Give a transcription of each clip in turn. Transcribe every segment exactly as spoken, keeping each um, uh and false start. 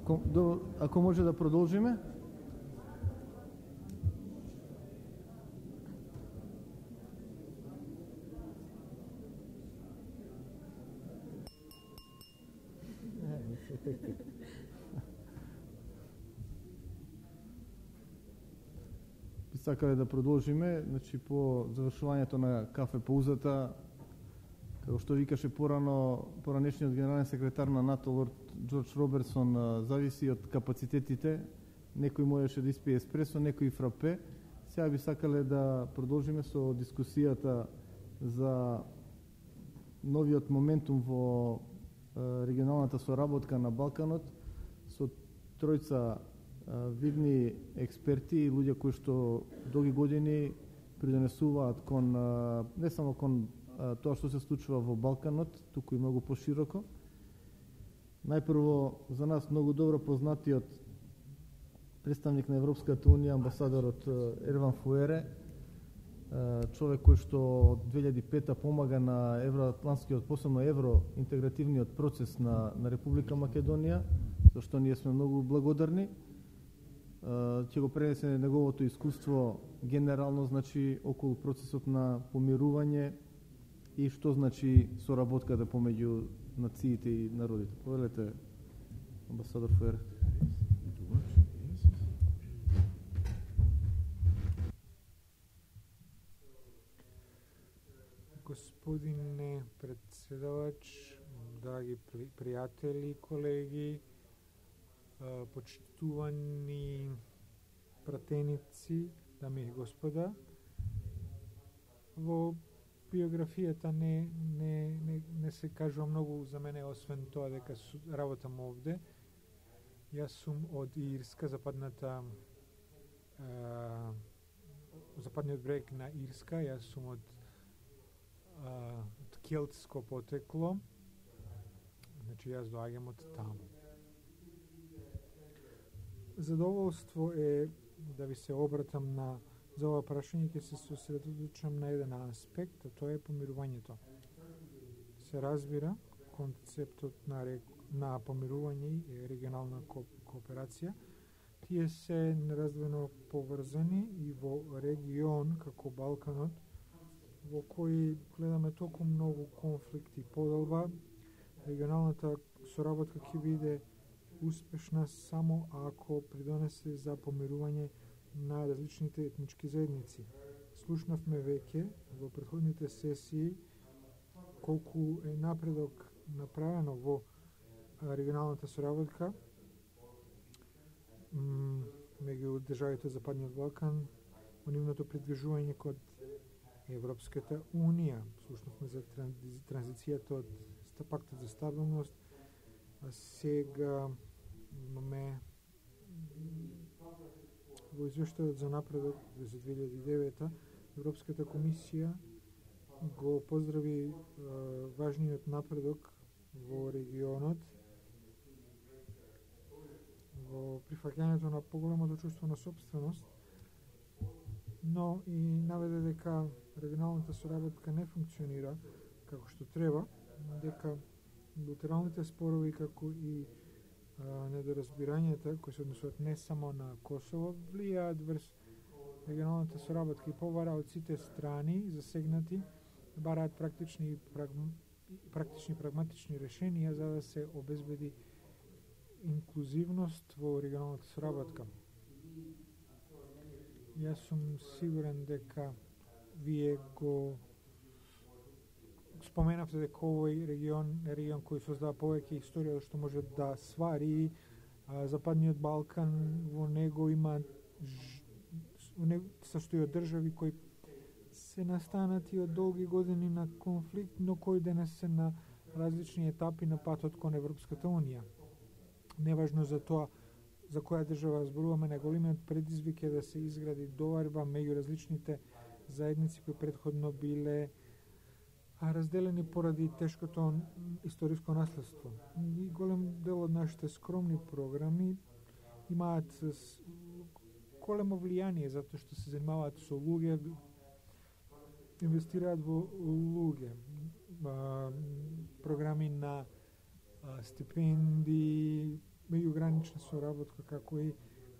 Ако, до, ако може да продолжиме. Би сакале да продолжиме, значи по завршувањето на кафе паузата, како што викаше порано, поранешниот генерален секретар на НАТО Лорд Џорџ Робертсон, зависи од капацитетите. Некој можеше да испие еспресо, некој фрапе. Сега би сакале да продолжиме со дискусијата за новиот моментум во регионалната соработка на Балканот со тројца видни експерти и луѓе кои што долги години придонесуваат кон не само кон тоа што се случува во Балканот, туку и многу пошироко. Најпрво, за нас многу добро познатиот представник на Европската унија, амбасадорот Ерван Фуере, човек кој што од две илјади и пета помага на евроатлантскиот, посебно евроинтегративниот процес на, на Република Македонија, за што ние сме многу благодарни. Ќе го пренесе неговото искуство генерално, значи, околу процесот на помирување и што значи соработката помеѓу нациите и народите. Повелете, амбасадор Фуере. Господине председавач, драги пријатели, колеги, почитувани пратеници, дами и господа, во биографијата не, не, не, не се кажува многу за мене, освен тоа дека работам овде. Јас сум од Ирска, западната а, западниот брег на Ирска, јас сум од, а, од келтско потекло, значи јас доаѓам од таму. Задоволство е да ви се обратам на за ова прашање, ќе се сосредоточам на еден аспект, а тоа е помирувањето. Се разбира, концептот на, на помирување и регионална ко кооперација, тие се нераздвоено поврзани и во регион како Балканот, во кој гледаме толку многу конфликти. Подолба, регионалната соработка ќе биде успешна само ако придонесе за помирување на различните етнички заедници. Слушнавме веќе во претходните сесии колку е напредок направено во регионалната соработка меѓу државите од Западниот Балкан во нивното придвижување кон Европската унија. Слушнавме за транзицијата од пактот за стабилност, а сега имаме во извештајот за напредок за две илјади и девета Европската комисија го поздрави е, важниот напредок во регионот во прифаќањето на поголемото чувство на сопственост, но и наведе дека регионалната соработка не функционира како што треба, дека билатералните спорови како и недоразбирањата кои се однесуваат не само на Косово влијаат врз регионалната соработка и побара од сите страни засегнати бараат практични прагм... практични прагматични решенија за да се обезбеди инклузивност во регионалната соработка. Јас сум сигурен дека вие го споменавте дека овој регион е регион кој создава повеќе историја што може да свари а, Западниот Балкан. Во него има во него состои од држави кои се настанати од долги години на конфликт, но кои денес се на различни етапи на патот кон Европската унија. Неважно за тоа за која држава зборуваме, најголемиот предизвик е да се изгради доварба меѓу различните заедници кои претходно биле разделени поради тешкото историско наследство. И голем дел од нашите скромни програми имаат големо влијание затоа што се занимаваат со луѓе, инвестираат во луѓе. Програми на стипендии, меѓугранична соработка, како и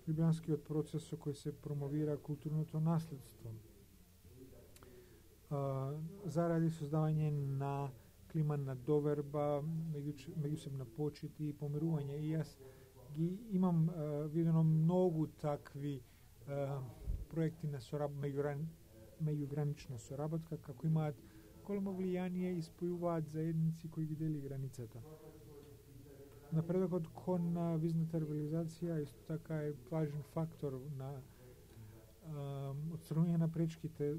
Лјубљанскиот процес со кој се промовира културното наследство. А, заради создавање на клима на доверба, меѓу, меѓусебна почит и помирување. И јас ги имам а, видено многу такви а, проекти на сораб, меѓугран, меѓугранична соработка, како имаат големо влијание и спојуваат заедници кои ги дели границата. Напредокот кон визната либерализација исто така е важен фактор на отстранување на пречките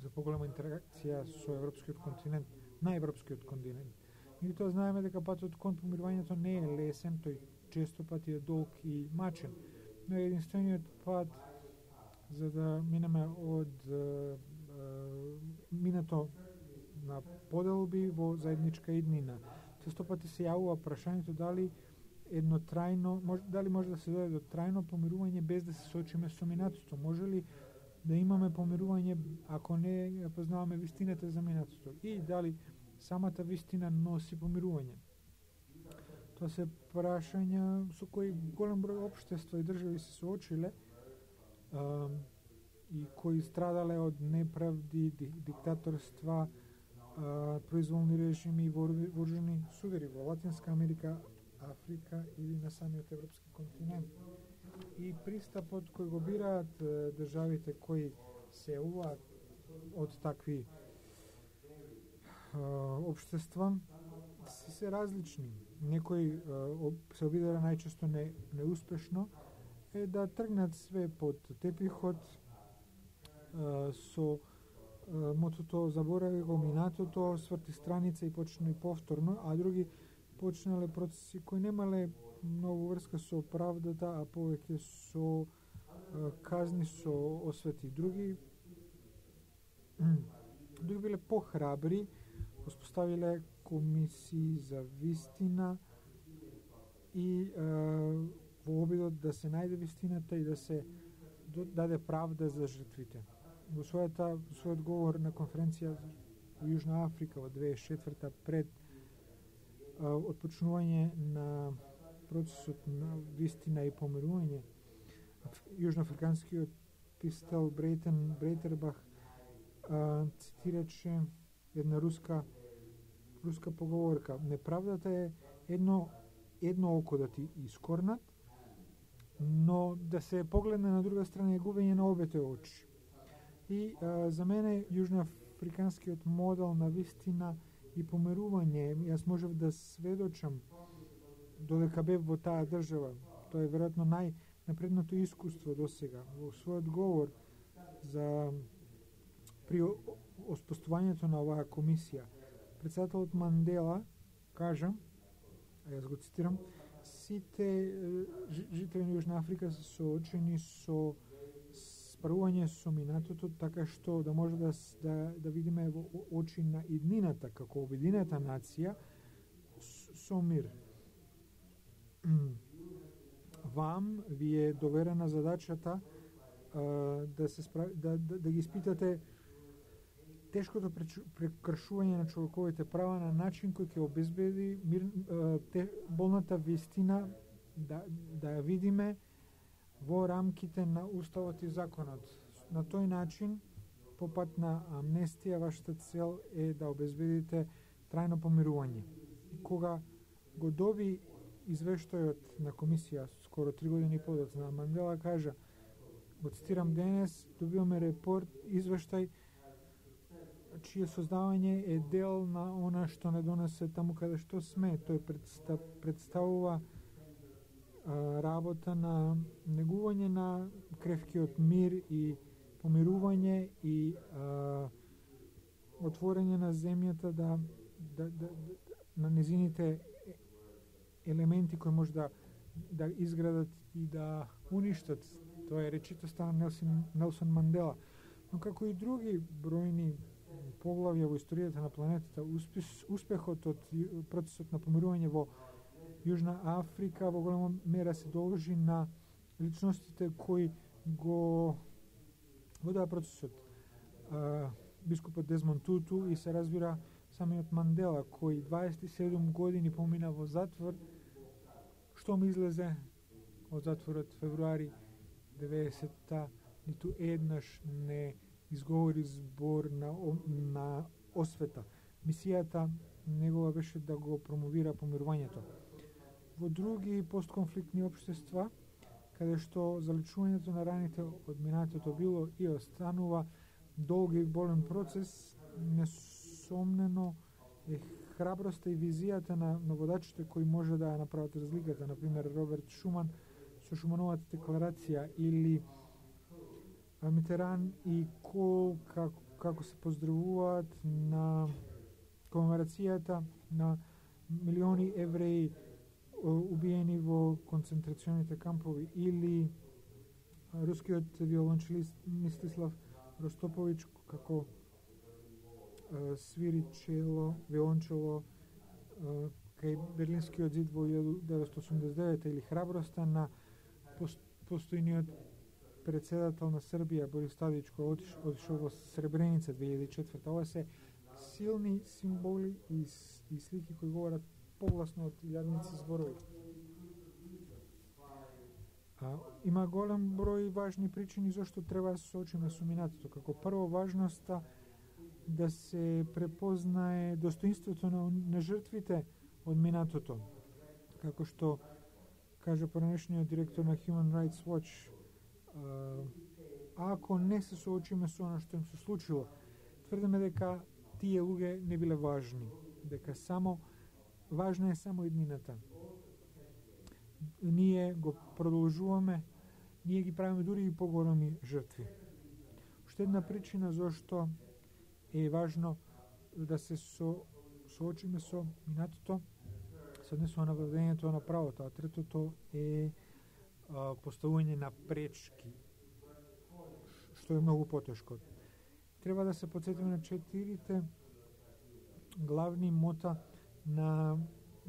за поголема интеракција со европскиот континент, на европскиот континент. Меѓутоа знаеме дека патот кон помирувањето не е лесен, тој често пати е долг и мачен, но е единствениот пат за да минеме од е, е, минато на поделби во заедничка иднина. Често пати се јавува прашањето дали едно трајно, мож, дали може да се дојде до трајно помирување без да се соочиме со минатото. Може ли да имаме помирување ако не познаваме вистината за минатото? И дали самата вистина носи помирување? Тоа се прашања со кои голем број општества и држави се соочиле а, и кои страдале од неправди, диктаторства, а, произволни режими и вооружени судари во Латинска Америка, Африка или на самиот европски континент. И пристапот кој го бираат државите кои се јавуваат од такви а, општества си се различни. Некои а, се обидува најчесто не, неуспешно е да тргнат све под тепихот а, со а, мотото заборави го минатото, сврти страница и почне повторно, а други почнале процеси кои немале многу врска со правдата, а повеќе со а, казни, со освети. Други други биле похрабри, успоставиле комисии за вистина и а, во обидот да се најде вистината и да се даде правда за жртвите. Во својата во својот говор на конференција во Јужна Африка во две тисачи и четврта пред отпочнување на процесот на вистина и помирување, јужноафриканскиот писател Брейтен Брейтербах а, цитираче една руска руска поговорка: неправдата е едно едно око да ти искорнат, но да се погледне на друга страна е губење на обете очи. И а, за мене јужноафриканскиот модел на вистина и помирување, јас можев да сведочам додека бев во таа држава. Тоа е веројатно најнапредното искуство до сега. Во својот говор за при оспоставувањето на оваа комисија, председателот Мандела кажа, а јас го цитирам: сите жители на Јужна Африка се соочени со спарување со минатото, така што да може да, да, да видиме во очи на иднината како обединета нација со мир. Вам ви е доверена задачата а, да се справи, да, да, да ги испитате тешкото прекршување на човековите права на начин кој ќе обезбеди мир, а, те, болната вистина да, да ја видиме во рамките на уставот и законот. На тој начин, по пат на амнестија, вашата цел е да обезбедите трајно помирување. И кога го доби извештајот на комисија скоро три години подоцна, Мандела кажа, го цитирам: денес добиваме репорт, извештај чие создавање е дел на она што не донесе таму каде што сме. Тој представ, представува а, работа на негување на кревкиот мир и помирување и а, отворење на земјата да, да, да, да на незините елементи кои може да, да изградат и да уништат. Тоа е речитоста на Нелсон, Нелсон Мандела. Но како и други бројни поглавја во историјата на планетата, успехот од процесот на помирување во Јужна Африка во голема мера се должи на личностите кои го водеа процесот. А, бискупот Дезмонд Туту и се разбира самиот Мандела, кој дваесет и седум години помина во затвор, што ми излезе од затворот февруари деветдесетта, ниту еднаш не изговори збор на, на освета. Мисијата негова беше да го промовира помирувањето. Во други постконфликтни општества, каде што заличувањето на раните од минатото било и останува долг и болен процес, несомнено е храброста и визијата на, на водачите кои може да направат разликата. Например, Роберт Шуман со Шумановата декларација или Митеран и Кол како, како се поздравуваат на комеморацијата на милиони евреи убиени во концентрационите кампови, или рускиот виолончелист Мстислав Ростоповиќ како свири чело, виолончело кај Берлинскиот зид во илјада деветстотини осумдесет и девета, или храброста на постојниот председател на Србија Борис Тадиќ кој отишол во Сребреница две илјади и четврта. Ова се силни символи и, и слики кои говорат погласно од илјадници зборови. А, има голем број важни причини зашто треба да се соочиме со минатото. Како прво, важноста да се препознае достоинството на, на жртвите од минатото. Како што кажа поранешниот директор на Human Rights Watch, ако не се соочиме со она што им се случило, тврдиме дека тие луѓе не биле важни, дека само важна е само еднината. Ние го продолжуваме, ние ги правиме дури и поголеми жртви. Уште една причина зашто е важно да се со, соочиме со минатото се однесува на владењето на правото, а третото е а, поставување на пречки, што е многу потешко. Треба да се потсетиме на четирите главни мота на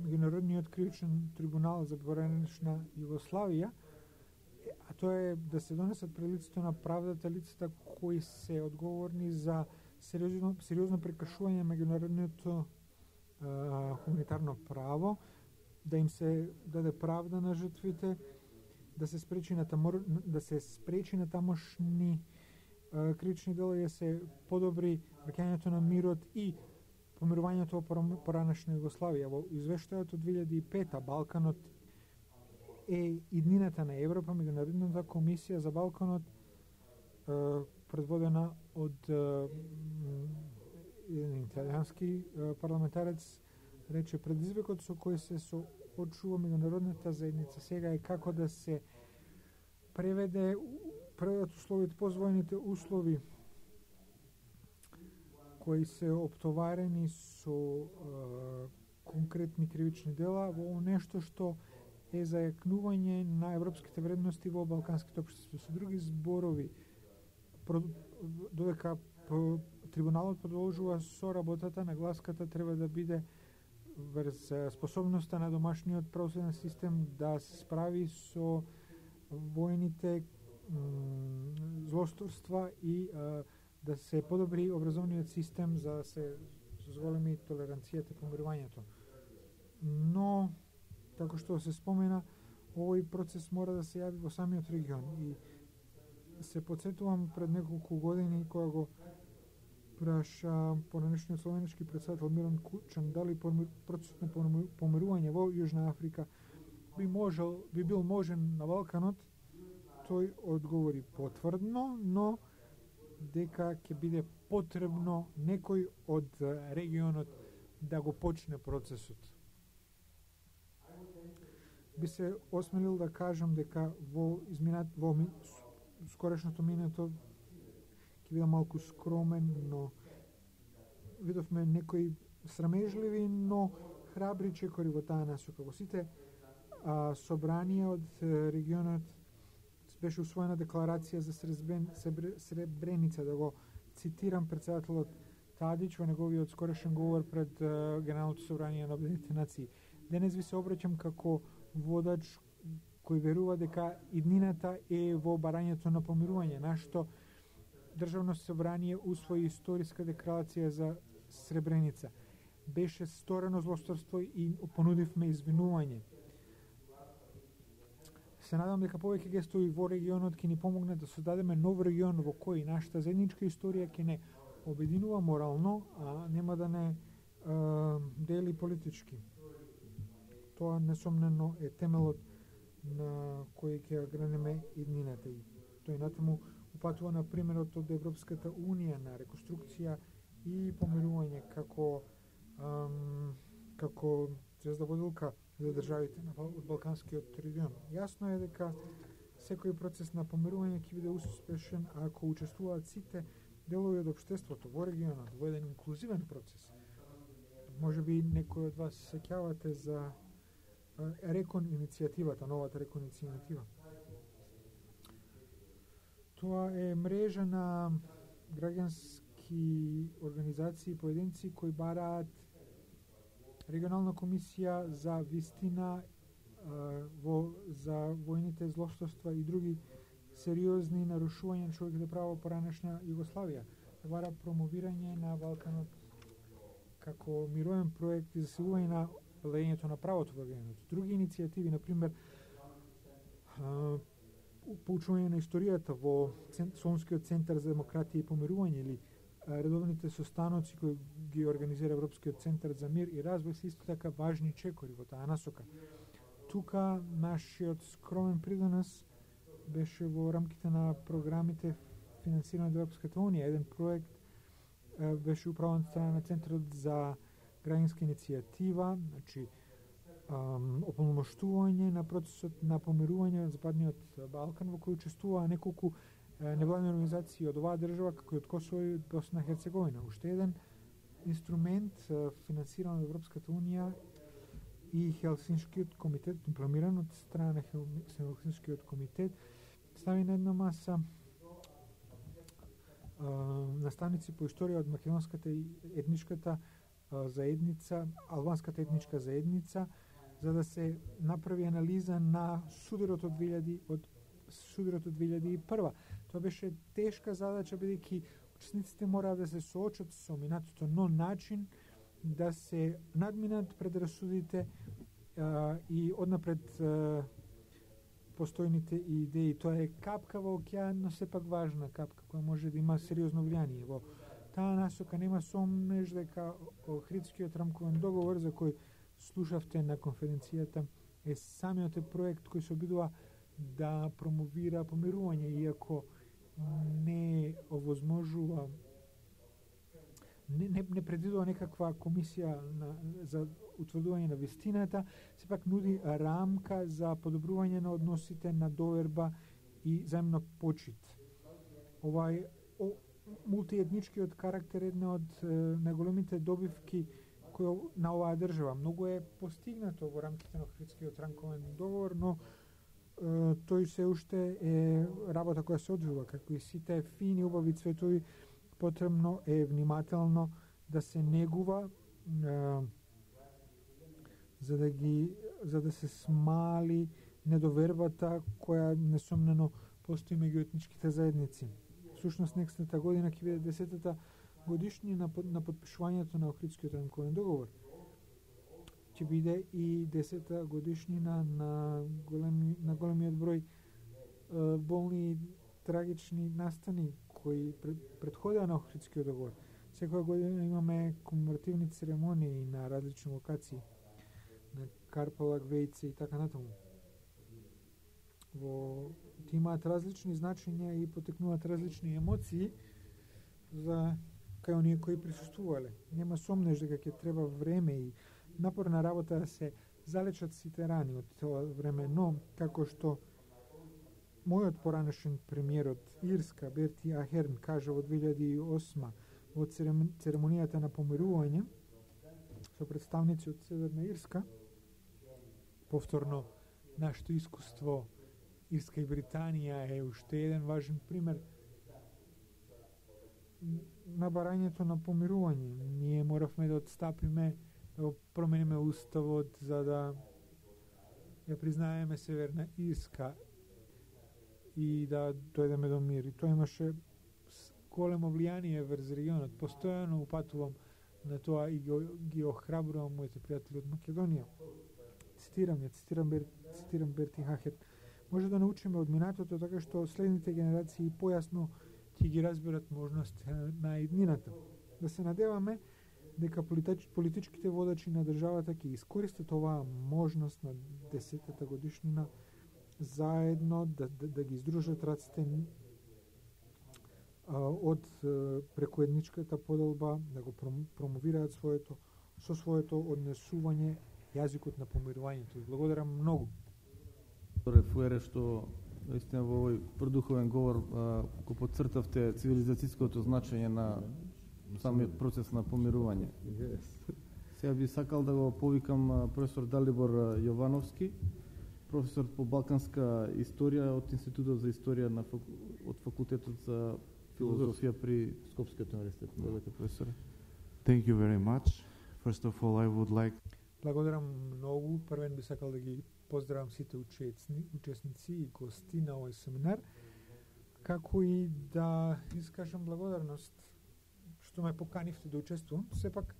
Меѓународниот кривичен трибунал за поранешна Југославија, а тоа е да се донесат пред лицето на правдата лицата кои се одговорни за сериозно, сериозно прекршување на меѓународното хуманитарно право, да им се даде правда на жртвите, да се спречи на тамор, да се спречи на тамошни а, кривични дела и да се подобри враќањето на мирот и помирувањето во поранешна Југославија. Во извештајот од две илјади и пета Балканот е иднината на Европа, Меѓународната комисија за Балканот, предводена од еден италијански парламентарец, рече: предизвикот со кој се соочува меѓународната заедница сега е како да се преведе преведат условите, позволните услови кои се оптоварени со е, конкретни кривични дела во нешто што е зајакнување на европските вредности во балканските општества. Со други зборови, додека трибуналот продолжува со работата, нагласката треба да биде врз способноста на домашниот правосуден систем да се справи со војните злосторства и а, да се подобри образовниот систем за да се зголеми толеранцијата и помирувањето. Но, како што се спомена, овој процес мора да се јави во самиот регион и се подсетувам пред неколку години кога го праша поранешниот словенички председател Милан Кучан дали процесот на помирување во Јужна Африка би можел, би бил можен на Балканот. Тој одговори потврдно, но дека ќе биде потребно некој од регионот да го почне процесот. Би се осмелил да кажам дека во изминат во ми, скорешното минато ќе бидам малку скромен, но видовме некои срамежливи, но храбри чекори во таа насока. Во сите а, собранија од регионот беше усвоена декларација за Сребрен, Сребреница, да го цитирам председателот Тадиќ во неговиот скорешен говор пред uh, Генералното собрание на Обединетите нации. Денес ви се обраќам како водач кој верува дека иднината е во барањето на помирување. Нашто Државно собрание усвои историска декларација за Сребреница. Беше сторено злосторство и понудивме извинување. се надам дека повеќе гестови во регионот ќе ни помогнат да создадеме нов регион во кој нашата заедничка историја ќе не обединува морално, а нема да не а, дели политички. Тоа несомнено е темелот на кој ќе гранеме иднината и тој натаму упатува на примерот од Европската унија на реконструкција и помирување како ам, како звезда водилка за државите на од Балканскиот регион. Јасно е дека секој процес на помирување ќе биде успешен ако учествуваат сите делови од општеството во регионот во еден инклузивен процес. Може би некој од вас се сеќавате за Рекон иницијативата, новата Рекон иницијатива. Тоа е мрежа на граѓански организации и поединци кои бараат регионална комисија за вистина во за војните злостоства и други сериозни нарушувања на човековите права во поранешна Југославија. Бара промовирање на Балканот како мировен проект и засилување на владењето на правото во регионот. Други иницијативи, на пример, поучување на историјата во Солунскиот центар за демократија и помирување или редовните состаноци кои ги организира Европскиот центар за мир и развој се исто така важни чекори во таа насока. Тука нашиот скромен придонес беше во рамките на програмите финансирани од Европската унија. Еден проект беше управен од страна на Центарот за граѓанска иницијатива, значи ополномоштување на процесот на помирување на Западниот Балкан, во кој учествуваа неколку невладини организации од оваа држава, како и од Косово и Босна и Херцеговина. Уште еден инструмент финансиран од Европската унија и Хелсиншкиот комитет, дипломиран од страна на Хелсиншкиот комитет, стави на една маса наставници по историја од македонската и етничката заедница, албанската етничка заедница, за да се направи анализа на сударот од две илјади од сударот од две илјади и прва. Тоа беше тешка задача, бидејќи учесниците мораа да се соочат со минатото, но начин да се надминат предрасудите а, и однапред а, постојните идеи. Тоа е капка во океан, но сепак важна капка која може да има сериозно влијание. Во таа насока нема сомнеж дека Охридскиот рамковен договор за кој слушавте на конференцијата е самиот е проект кој се обидува да промовира помирување, иако не овозможува не, не, не предвидува некаква комисија на, за утврдување на вистината, сепак нуди рамка за подобрување на односите на доверба и заемно почит. Овај о, мултиетничкиот карактер е една од е, најголемите добивки кој на оваа држава. Многу е постигнато во рамките на Охридскиот рамковен договор, но е, тој се уште е работа која се одвива, како и сите фини убави цветови, потребно е внимателно да се негува е, за да ги за да се смали недовербата која несомнено постои меѓу етничките заедници. Всушност, некстата година ќе биде десетата годишнина на подпишувањето на Охридскиот рамковен договор. Ќе биде и десета годишнина на големи на големиот број е, болни и трагични настани кои предходеа на Охридскиот договор. Секоја година имаме комеморативни церемонии на различни локации, на Карпалак, Вејце и така натаму. Во ти имаат различни значења и потекнуваат различни емоции за кај оние кои присуствувале. Нема сомнеж дека ќе треба време и напорна работа да се залечат сите рани од тоа време, но како што мојот поранешен премиер од Ирска, Берти Ахерн, кажа во две илјади и осма во церемонијата на помирување со представници од Северна Ирска, повторно нашето искуство Ирска и Британија е уште еден важен пример на барањето на помирување. Ние моравме да отстапиме, да промениме уставот за да ја признаеме Северна Ирска и да дојдеме до мир. И тоа имаше големо влијание врз регионот. Постојано упатувам на тоа и ги охрабрувам моите пријатели од Македонија. Цитирам ја, цитирам, Бер, цитирам Берти Хахер. може да научиме од минатото, така што следните генерации појасно ќе ги разберат можности на иднината. Да се надеваме дека политич, политичките водачи на државата ќе искористат оваа можност на десетата годишнина заедно да, да, да ги издружат раците а, од преку етничката поделба, да го промовираат своето со своето однесување јазикот на помирувањето. Благодарам многу. Фуере што наистина во овој продуховен говор а, го потцртавте цивилизацијското значење на самиот процес на помирување. Yes. Сега би сакал да го повикам професор Далибор Јовановски, професор по балканска историја од Институтот за историја на факу... од факултетот за филозофија при Скопскиот универзитет. Благодарам, професоре. Thank you very much. First of all, I would like Благодарам многу. Првен би сакал да ги поздравам сите учесни, учесници и гости на овој семинар, како и да искажам благодарност што ме поканивте да учествувам. Сепак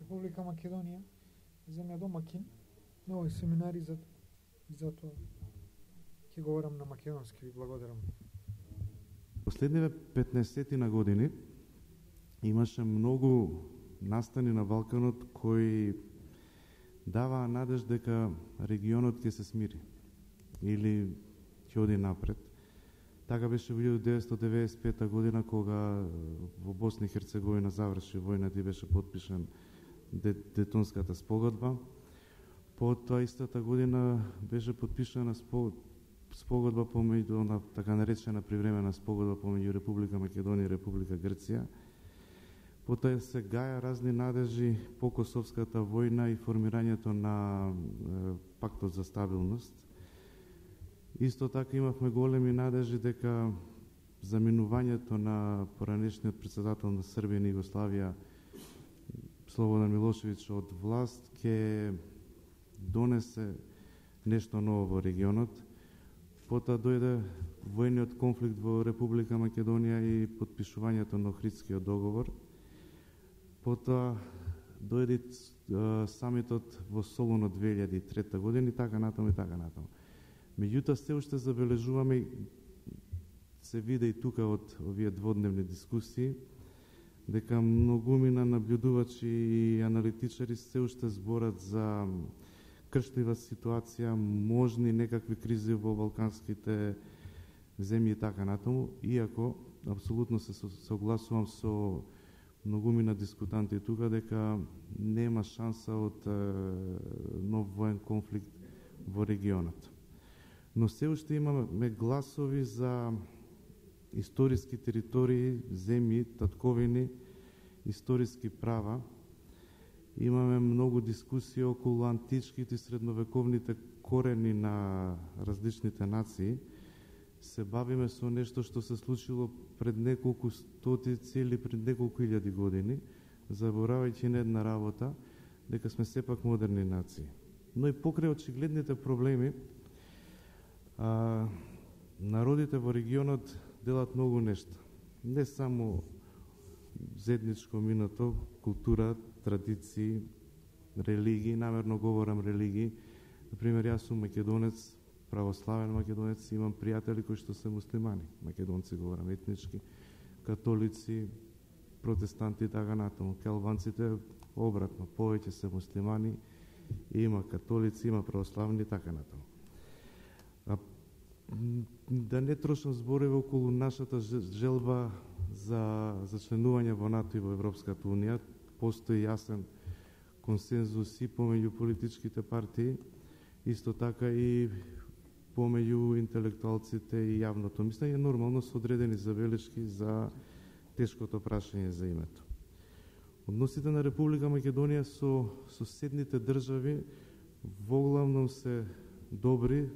Република Македонија земја домакин на овој семинар и за затоа ќе говорам на македонски. Ви благодарам. Последниве петнаесет години имаше многу настани на Балканот кои даваа надеж дека регионот ќе се смири или ќе оди напред. Така беше во илјадесетстотини деветстотини деветдесет и пета година кога во Босна и Херцеговина заврши војната и беше подпишан Детонската спогодба. Потоа истата година беше подпишана спогодба помеѓу на така наречена привремена спогодба помеѓу Република Македонија и Република Грција. Потоа се гаја разни надежи по Косовската војна и формирањето на е, пактот за стабилност. Исто така имавме големи надежи дека заминувањето на поранешниот председател на Србија и Југославија Слободан Милошевиќ од власт ќе донесе нешто ново во регионот. Потоа дојде војниот конфликт во Република Македонија и подпишувањето на Охридскиот договор. Потоа дојде самитот во Солун од две илјади и трета година и така натаму и така натаму. Меѓутоа се уште забележуваме, се види и тука од овие дводневни дискусии, дека многумина наблюдувачи и аналитичари се уште зборат за кршлива ситуација, можни некакви кризи во балканските земји и така натаму, иако апсолутно се согласувам со многумина дискутанти тука дека нема шанса од е, нов воен конфликт во регионот. Но се уште имаме гласови за историски територии, земји, татковини, историски права. Имаме многу дискусии околу античките и средновековните корени на различните нации. Се бавиме со нешто што се случило пред неколку стотици или пред неколку илјади години, заборавајќи на една работа, дека сме сепак модерни нации. Но и покрај очигледните проблеми, а, народите во регионот делат многу нешта. Не само заедничко минато, култура, традиции, религии, намерно говорам религии. Например, јас сум македонец, православен македонец, имам пријатели кои што се муслимани, македонци говорам етнички, католици, протестанти и така натаму. Келванците обратно, повеќе се муслимани, има католици, има православни и така натаму. А, да не трошам зборови околу нашата желба за, за членување во НАТО и во Европската Унија, постои јасен консензус и помеѓу политичките партии, исто така и помеѓу интелектуалците и јавното мислење, нормално со одредени забелешки за тешкото прашање за името. Односите на Република Македонија со соседните држави воглавном се добри,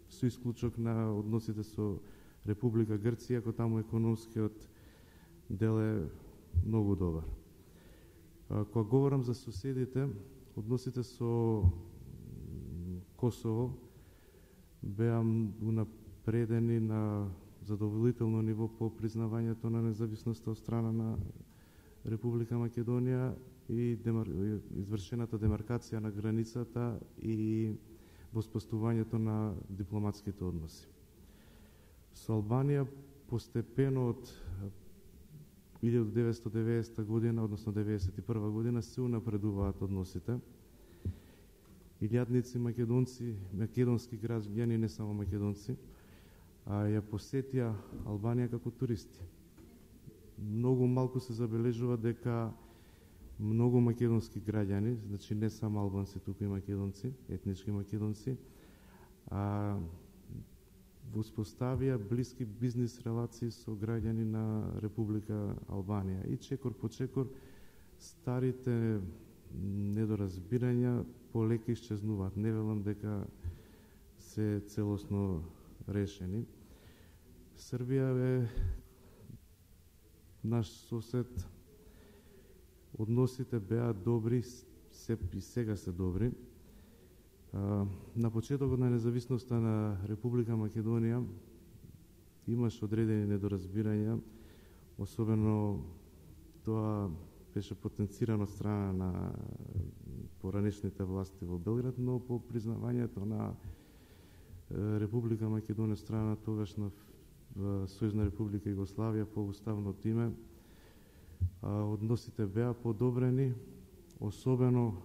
со исклучок на односите со Република Грција, ако таму економскиот дел е многу добар. Кога говорам за соседите, односите со Косово беа унапредени на задоволително ниво по признавањето на независноста од страна на Република Македонија и демар... извршената демаркација на границата и во споставувањето на дипломатските односи. Со Албанија постепено од илјадум деветстотини и деветдесета година, односно деветдесет и прва година, се унапредуваат односите. Илјадници македонци, македонски граѓани, не само македонци, а ја посетија Албанија како туристи. Многу малку се забележува дека многу македонски граѓани, значи не само албанци, туку и македонци, етнички македонци, а воспоставија блиски бизнис релации со граѓани на Република Албанија. И чекор по чекор старите недоразбирања полека исчезнуваат. Не велам дека се целосно решени. Србија е наш сосед. Односите беа добри, се и сега се добри. На почетокот на независноста на Република Македонија имаше одредени недоразбирања, особено тоа беше потенцирано од страна на поранешните власти во Белград, но по признавањето на Република Македонија страна тогашна Сојузна Република Југославија по уставното име, односите беа подобрени, особено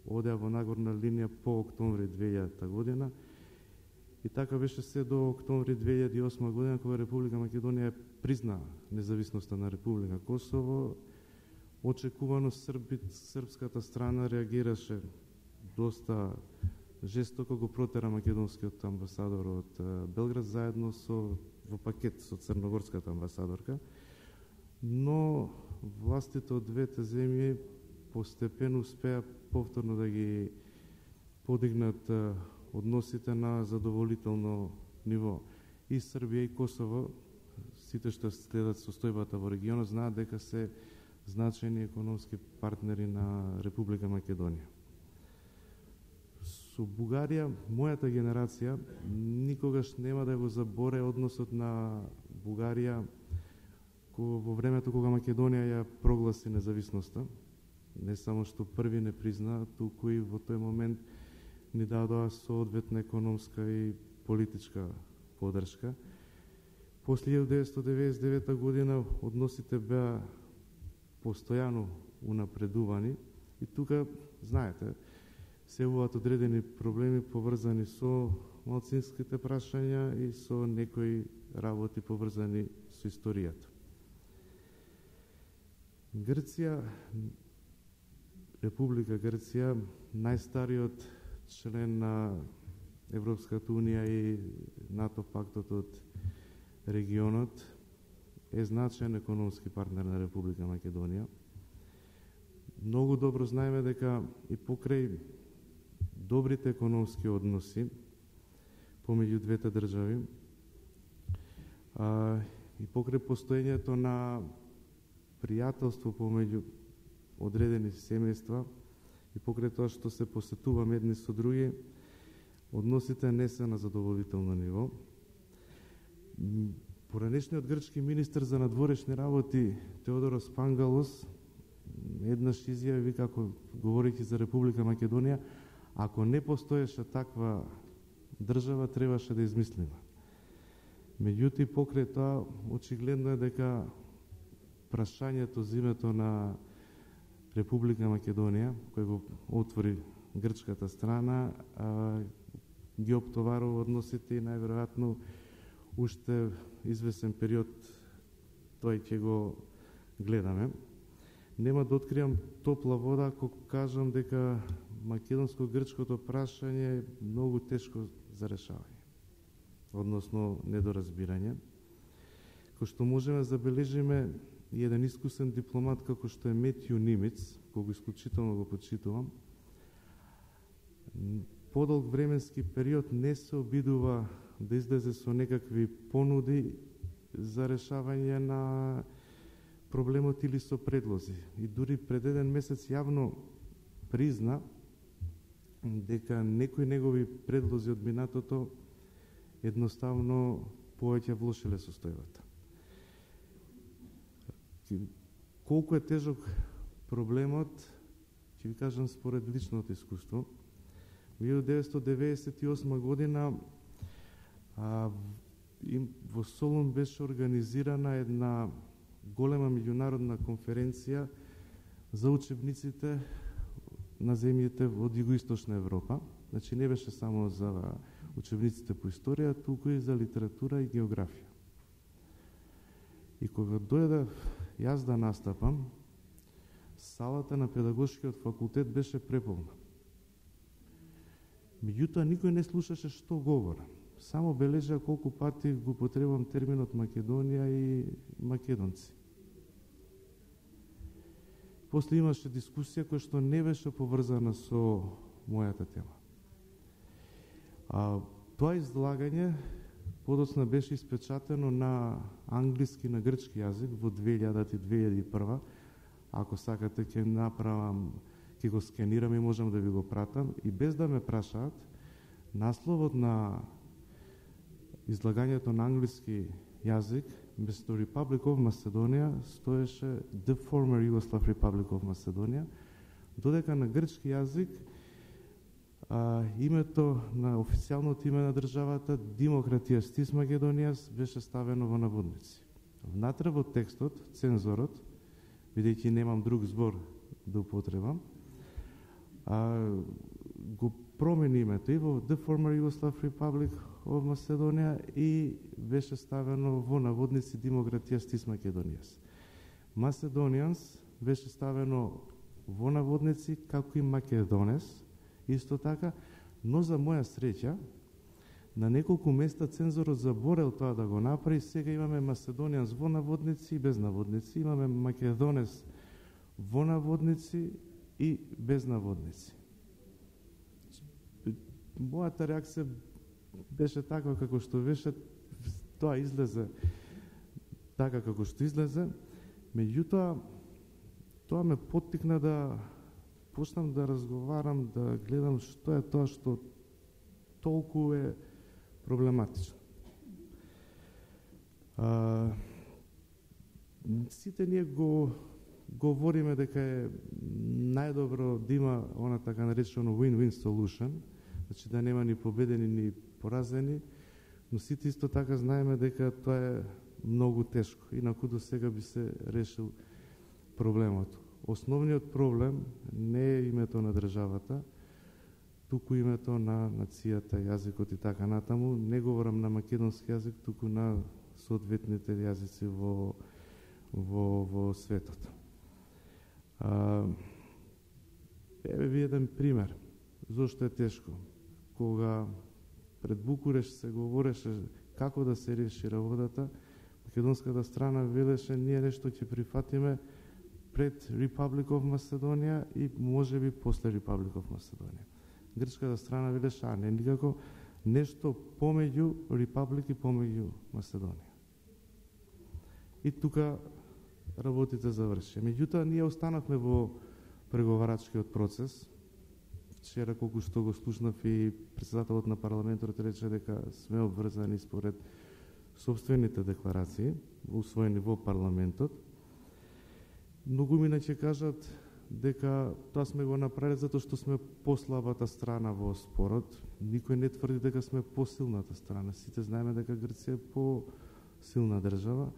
одеа во нагорна линија по октомври две илјадета година, и така беше се до октомври две илјади и осма година, кога Република Македонија призна независноста на Република Косово. Очекувано Срби, српската страна реагираше доста жестоко, го протера македонскиот амбасадор од Белград заедно со во пакет со црногорската амбасадорка, но властите од двете земји постепено успеа повторно да ги подигнат односите на задоволително ниво. И Србија и Косово, сите што следат состојбата во регионот, знаат дека се значајни економски партнери на Република Македонија. Со Бугарија, мојата генерација никогаш нема да го заборе односот на Бугарија во времето кога Македонија ја прогласи независноста. Не само што први не призна, туку и во тој момент ни дадоа соодветна економска и политичка подршка. После илјадум деветстотини деветдесет и девета година односите беа постојано унапредувани и тука, знаете, се јавуваат одредени проблеми поврзани со малцинските прашања и со некои работи поврзани со историјата. Грција, Република Грција, најстариот член на Европската Унија и НАТО пактот од регионот, е значаен економски партнер на Република Македонија. Многу добро знаеме дека и покрај добрите економски односи помеѓу двете држави, а, и покрај постоењето на пријателство помеѓу одредени семејства и покрај тоа што се посетуваме едни со други, односите не се на задоволително ниво. Поранешниот грчки министер за надворешни работи Теодорос Пангалос еднаш изјави како говорејќи за Република Македонија, ако не постоеше таква држава, требаше да измислиме. Меѓутоа, покрај тоа, очигледно е дека прашањето за името на Република Македонија, кој го отвори грчката страна, а, ги оптоварува односите и најверојатно уште извесен период тој ќе го гледаме. Нема да откриам топла вода ако кажам дека македонско-грчкото прашање е многу тешко за решавање, односно недоразбирање. Кој што можеме да забележиме и еден искусен дипломат како што е Метју Нимец, кога исклучително го почитувам, подолг временски период не се обидува да излезе со некакви понуди за решавање на проблемот или со предлози. И дури пред еден месец јавно призна дека некои негови предлози од минатото едноставно повеќе влошиле состојбата. Колку е тежок проблемот, ќе ви кажам според личното искуство. милјадум деветстотини деветдесет и осма година а, им, во Солун беше организирана една голема меѓународна конференција за учебниците на земјите од Југоисточна Европа. Значи не беше само за учебниците по историја, туку и за литература и географија. И кога дојдев јас да настапам, салата на педагошкиот факултет беше преполна. Меѓутоа, никој не слушаше што говорам. Само бележа колку пати го потребувам терминот Македонија и македонци. После имаше дискусија која што не беше поврзана со мојата тема. А, тоа излагање подоцна беше испечатено на англиски, на грчки јазик во две илјади и две илјади и прва. Ако сакате, ќе направам, ќе го скенирам и можам да ви го пратам. И без да ме прашаат, насловот на излагањето на англиски јазик, место Republic of Macedonia, стоеше The Former Yugoslav Republic of Macedonia, додека на грчки јазик а, името на официјалното име на државата, Демократија Стис Македонијас, беше ставено во наводници. Внатре во текстот, цензорот, бидејќи немам друг збор да употребам, а, го промени името и во The Former Yugoslav Republic of Macedonia и беше ставено во наводници Демократија Стис Македонијас. Macedonians беше ставено во наводници како и Македонес, исто така, но за моја среќа, на неколку места цензорот заборел тоа да го направи. Сега имаме Macedonians во наводници и без наводници, имаме Македонес во наводници и без наводници. Мојата реакција беше таква како што беше, тоа излезе така како што излезе, меѓутоа тоа ме поттикна да почнам да разговарам, да гледам што е тоа што толку е проблематично. А, сите ние го говориме дека е најдобро да има она така наречено win-win solution, значи да нема ни победени ни поразени, но сите исто така знаеме дека тоа е многу тешко, инаку до сега би се решил проблемот. Основниот проблем не е името на државата, туку името на нацијата, јазикот и така натаму. Не говорам на македонски јазик, туку на соодветните јазици во, во, во светот. А, еве ви еден пример. Зошто е тешко? Кога пред Букурешт се говореше како да се реши работата, македонската страна велеше ние нешто ќе прифатиме пред Republic of Macedonia и можеби после Republic of Macedonia. Грчката страна велеше, а не никако, нешто помеѓу Republic и помеѓу Македонија. И тука работите заврши. Меѓутоа, ние останавме во преговарачкиот процес. Вчера, колку што го слушнав и председателот на парламентот рече дека сме обврзани според собствените декларации, усвоени во парламентот. Многумина ќе кажат дека тоа сме го направили затоа што сме послабата страна во спорот. Никој не тврди дека сме посилната страна. Сите знаеме дека Грција е посилна држава,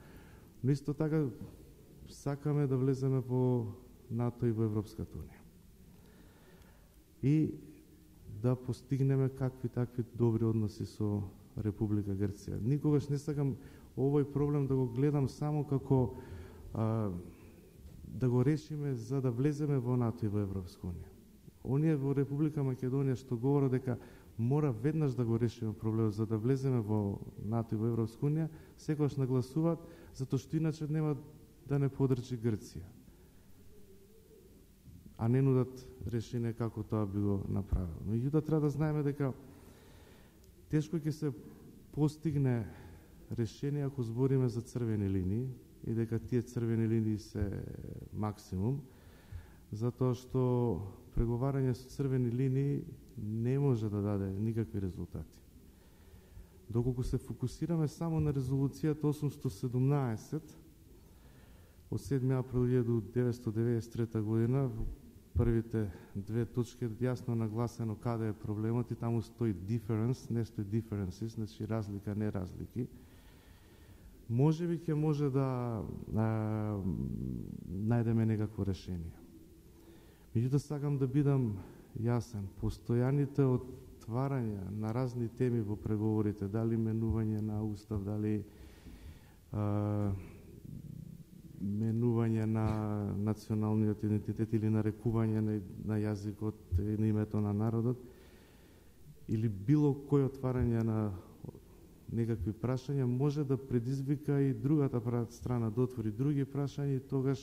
но исто така сакаме да влеземе во НАТО и во Европската унија. И да постигнеме какви такви добри односи со Република Грција. Никогаш не сакам овој проблем да го гледам само како а, да го решиме за да влеземе во НАТО и во Европска унија. Оние во Република Македонија што говорат дека мора веднаш да го решиме проблемот за да влеземе во НАТО и во Европска унија, секогаш нагласуваат затоа што иначе нема да не подржи Грција. А не нудат решение како тоа би го направил. Меѓутоа треба да знаеме дека тешко ќе се постигне решение ако збориме за црвени линии и дека тие црвени линии се максимум, затоа што преговарање со црвени линии не може да даде никакви резултати. Доколку се фокусираме само на резолуцијата осумстотини и седумнаесет од седми април илјадум деветстотини деветдесет и трета година, првите две точки јасно нагласено каде е проблемот и таму стои difference, не стои differences, значи разлика, не разлики. Може би ќе може да а, најдеме некакво решение. Меѓутоа сакам да бидам јасен. Постојаните отварања на разни теми во преговорите, дали менување на устав, дали а, менување на националниот идентитет или нарекување на, на јазикот и на името на народот, или било кој отварање на некакви прашања може да предизвика и другата страна да отвори други прашања и тогаш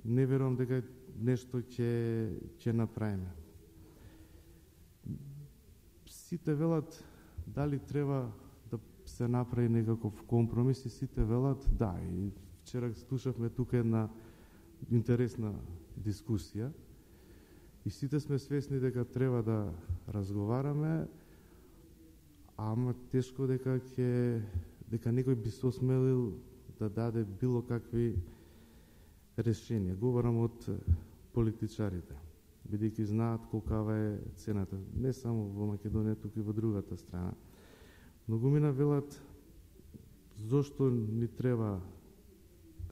не верувам дека нешто ќе ќе направиме. Сите велат дали треба да се направи некаков компромис и сите велат да. И вчера слушавме тука една интересна дискусија и сите сме свесни дека треба да разговараме, ама тешко дека ќе дека некој би се осмелил да даде било какви решенија. Говорам од политичарите, бидејќи знаат колкава е цената, не само во Македонија, туку и во другата страна. Многумина велат зошто ни треба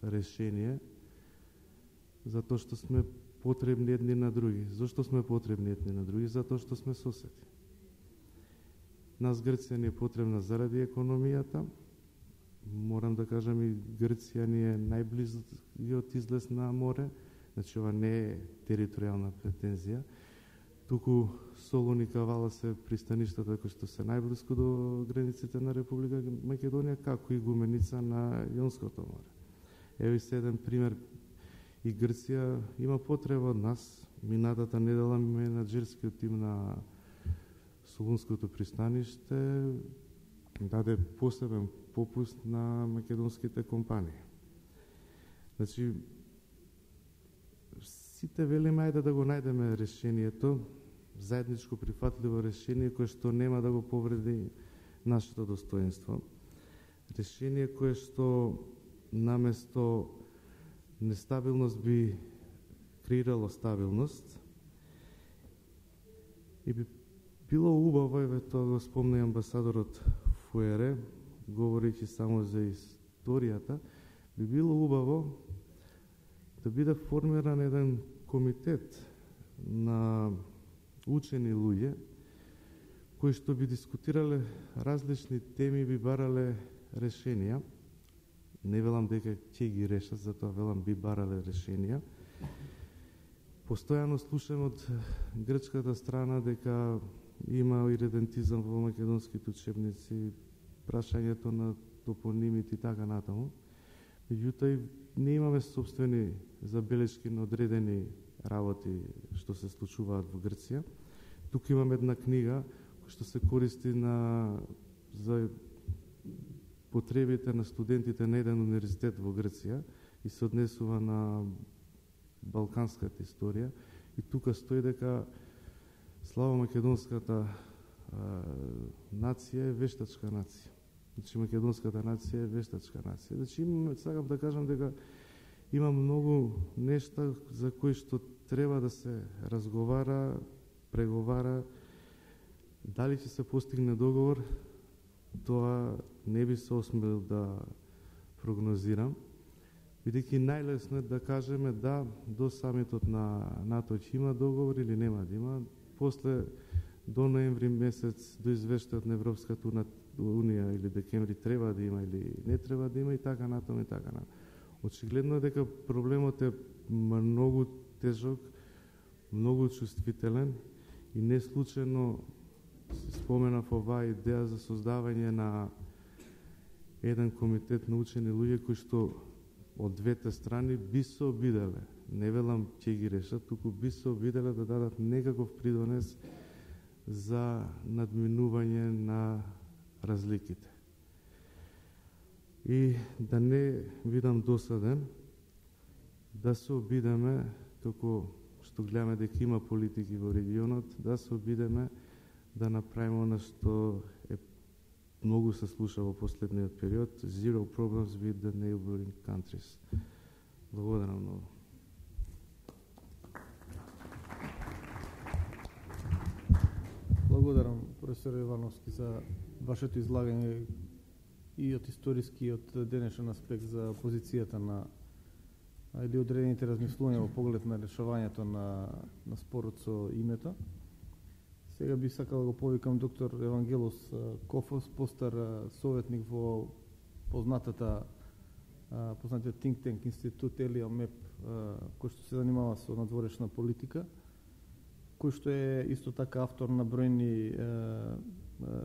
решение, затоа што сме потребни едни на други. Зошто сме потребни едни на други? Затоа што сме соседи. Нас Грција ни е потребна заради економијата. Морам да кажам и Грција ни е најблизкиот излез на море, значи ова не е територијална претензија, туку Солун и Кавала се пристаништата кои што се најблиску до границите на Република Македонија, како и Гуменица на Јонското море. Ево и седен пример, и Грција има потреба од нас. Минатата недела менаџерскиот тим на Солунското пристаниште даде посебен попуст на македонските компании. Значи, сите велиме ајде да го најдеме решението, заедничко прифатливо решение кое што нема да го повреди нашето достоинство. Решение кое што наместо нестабилност би креирало стабилност и би било убаво, еве тоа го спомна амбасадорот Фуере, говорејќи само за историјата, би било убаво да биде формиран еден комитет на учени луѓе кои што би дискутирале различни теми, би барале решенија. Не велам дека ќе ги решат, затоа велам би барале решенија. Постојано слушам од грчката страна дека има иредентизам во македонските учебници, прашањето на топонимите и така натаму. Меѓутоа не имаме собствени забелешки на одредени работи што се случуваат во Грција. Тука имам една книга што се користи на за потребите на студентите на еден универзитет во Грција и се однесува на балканската историја. И тука стои дека славомакедонската нација е вештачка нација. Значи, македонската нација е вештачка нација. Значи, сакам да кажам дека има многу нешта за кои што треба да се разговара, преговара. Дали ќе се постигне договор, тоа не би се осмелил да прогнозирам, бидејќи најлесно е да кажеме да, до самитот на НАТО ќе има договор или нема да има. После до ноември месец, до извештајот на Европската Унија или декември треба да има или не треба да има и така натаму и така натаму. Очигледно е дека проблемот е многу тежок, многу чувствителен и не случајно споменав оваа идеја за создавање на еден комитет на учени луѓе кои што од двете страни би се обиделе, не велам ќе ги решат, туку би се обиделе да дадат некаков придонес за надминување на разликите. И да не видам досаден, да се обидеме, како што гледаме дека има политики во регионот, да се обидеме да направиме она што е многу се слуша во последниот период, zero problems with the neighboring countries. Благодарам многу. благодарам професор Ивановски за вашето излагање и од историски и од денешен аспект за позицијата на или одредените размислувања во поглед на решавањето на, на спорот со името. Сега би сакал да го повикам доктор Евангелос Кофос, постар советник во познатата познатиот think tank институт Елио Меп, кој што се занимава со надворешна политика, кој што е исто така автор на бројни е, е,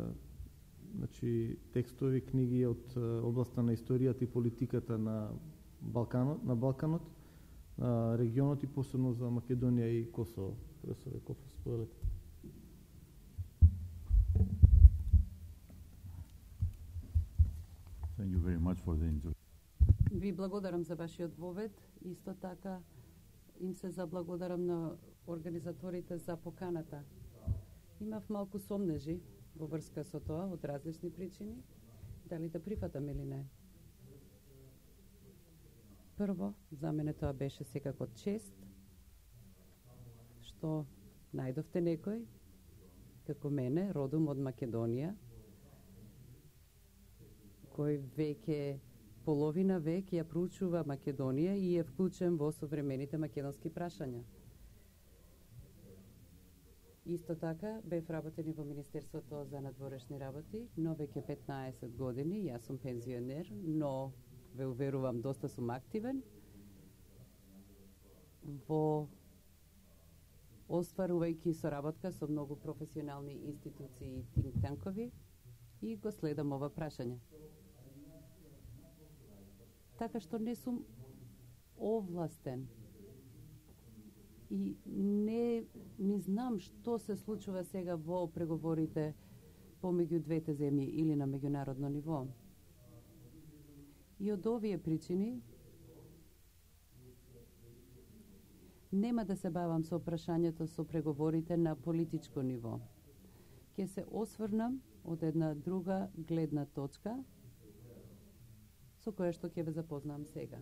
значи, текстови, книги од областа на историјата и политиката на Балканот, на Балканот, на регионот и посебно за Македонија и Косово. Професор Кофос, споделете. Thank you very much for the introduction. Ви благодарам за вашиот вовед. Исто така им се заблагодарам на организаторите за поканата. Имав малку сомнежи во врска со тоа од различни причини, дали да прифатам или не. Прво, за мене тоа беше секако чест, што најдовте некој, како мене, родом од Македонија, кој веќе половина век ја проучува Македонија и е вклучен во современите македонски прашања. Исто така, бев работени во Министерството за надворешни работи, но веќе петнаесет години, јас сум пензионер, но ве уверувам, доста сум активен во остварувајќи соработка со многу професионални институции и think tankoви и го следам ова прашање. Така што не сум овластен и не, не знам што се случува сега во преговорите помеѓу двете земји или на меѓународно ниво. И од овие причини нема да се бавам со прашањето со преговорите на политичко ниво. Ќе се осврнам од една друга гледна точка со која што ќе ве запознам сега.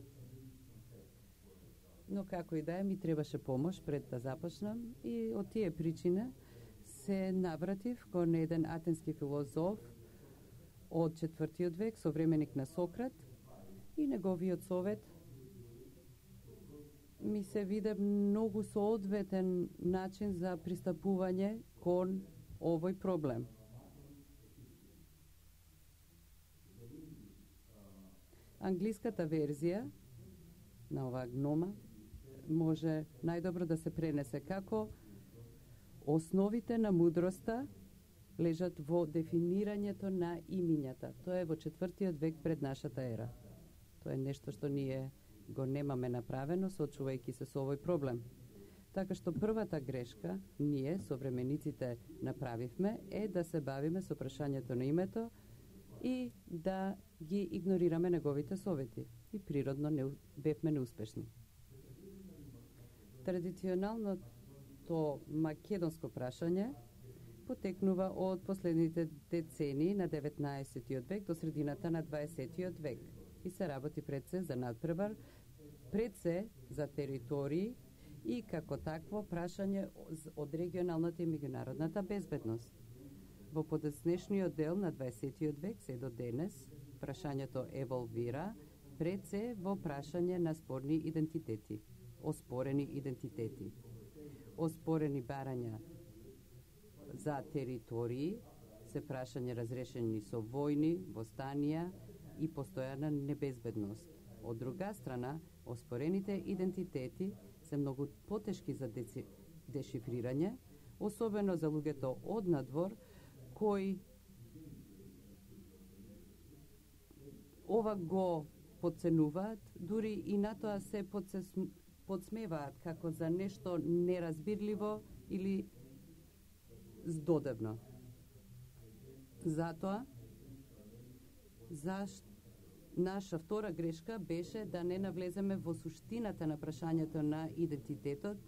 Но како и да е, ми требаше помош пред да започнам и од тие причини се навратив кон еден атенски филозоф од четвртиот век, современик на Сократ, и неговиот совет ми се виде многу соодветен начин за пристапување кон овој проблем. Англиската верзија на оваа гнома може најдобро да се пренесе како основите на мудроста лежат во дефинирањето на имињата. Тоа е во четвртиот век пред нашата ера. Тоа е нешто што ние го немаме направено, соочувајќи се со овој проблем. Така што првата грешка ние, современиците, направивме е да се бавиме со прашањето на името и да ги игнорираме неговите совети. И природно не, бевме неуспешни. Традиционалното македонско прашање потекнува од последните децении на деветнаесеттиот век до средината на дваесеттиот век и се работи пред се за надпревар, пред се за територии и како такво прашање од регионалната и меѓународната безбедност. Во подоцнешниот дел на дваесеттиот век се до денес прашањето еволвира пред се во прашање на спорни идентитети, оспорени идентитети, оспорени барања за територии, се прашање разрешени со војни, востанија и постојана небезбедност. Од друга страна, оспорените идентитети се многу потешки за дешифрирање, особено за луѓето од надвор, кои ова го подценуваат, дури и на тоа се подсмеваат како за нешто неразбирливо или здодевно. Затоа, зашто наша втора грешка беше да не навлеземе во суштината на прашањето на идентитетот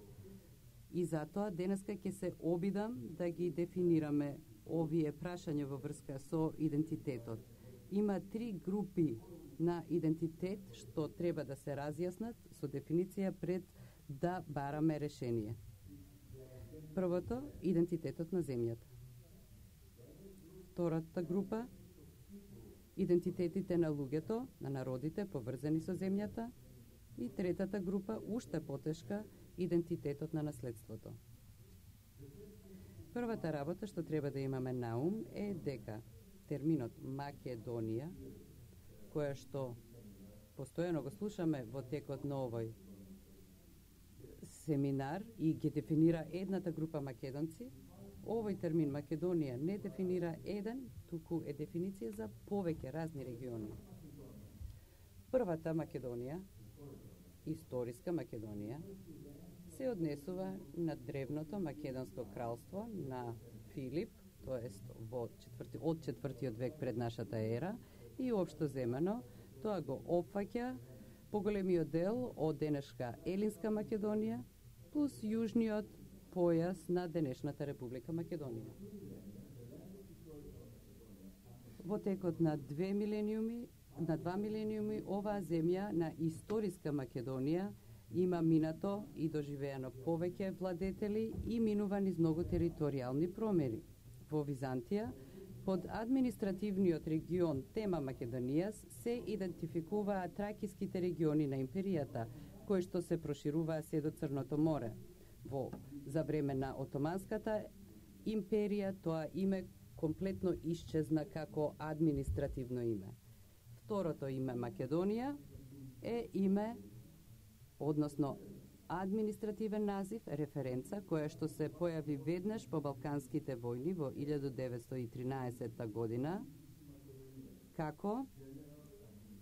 и затоа денеска ќе се обидам да ги дефинираме овие прашања во врска со идентитетот. Има три групи на идентитет што треба да се разјаснат со дефиниција пред да бараме решение. Првото, идентитетот на земјата. Втората група, идентитетите на луѓето, на народите поврзани со земјата. И третата група, уште потешка, идентитетот на наследството. Првата работа што треба да имаме на ум е дека терминот Македонија, која што постојано го слушаме во текот на овој семинар и ги дефинира едната група македонци, овој термин Македонија не дефинира еден, туку е дефиниција за повеќе разни региони. Првата Македонија, историска Македонија, се однесува на древното македонско кралство на Филип, тоест во четврти, од четвртиот век пред нашата ера, и општо земено тоа го опфаќа поголемиот дел од денешка Елинска Македонија плюс јужниот појас на денешната Република Македонија. Во текот на две милениуми, на два милениуми, оваа земја на историска Македонија има минато и доживеано повеќе владетели и минува низ многу територијални промери. Во Византија, под административниот регион Тема Македонија се идентификуваат тракиските региони на империјата, кои што се прошируваа се до Црното море. Во за време на Отоманската империја тоа име комплетно исчезна како административно име. Второто име Македонија е име, односно административен назив, референца, која што се појави веднаш по Балканските војни во илјадум деветстотини и тринаесетта година како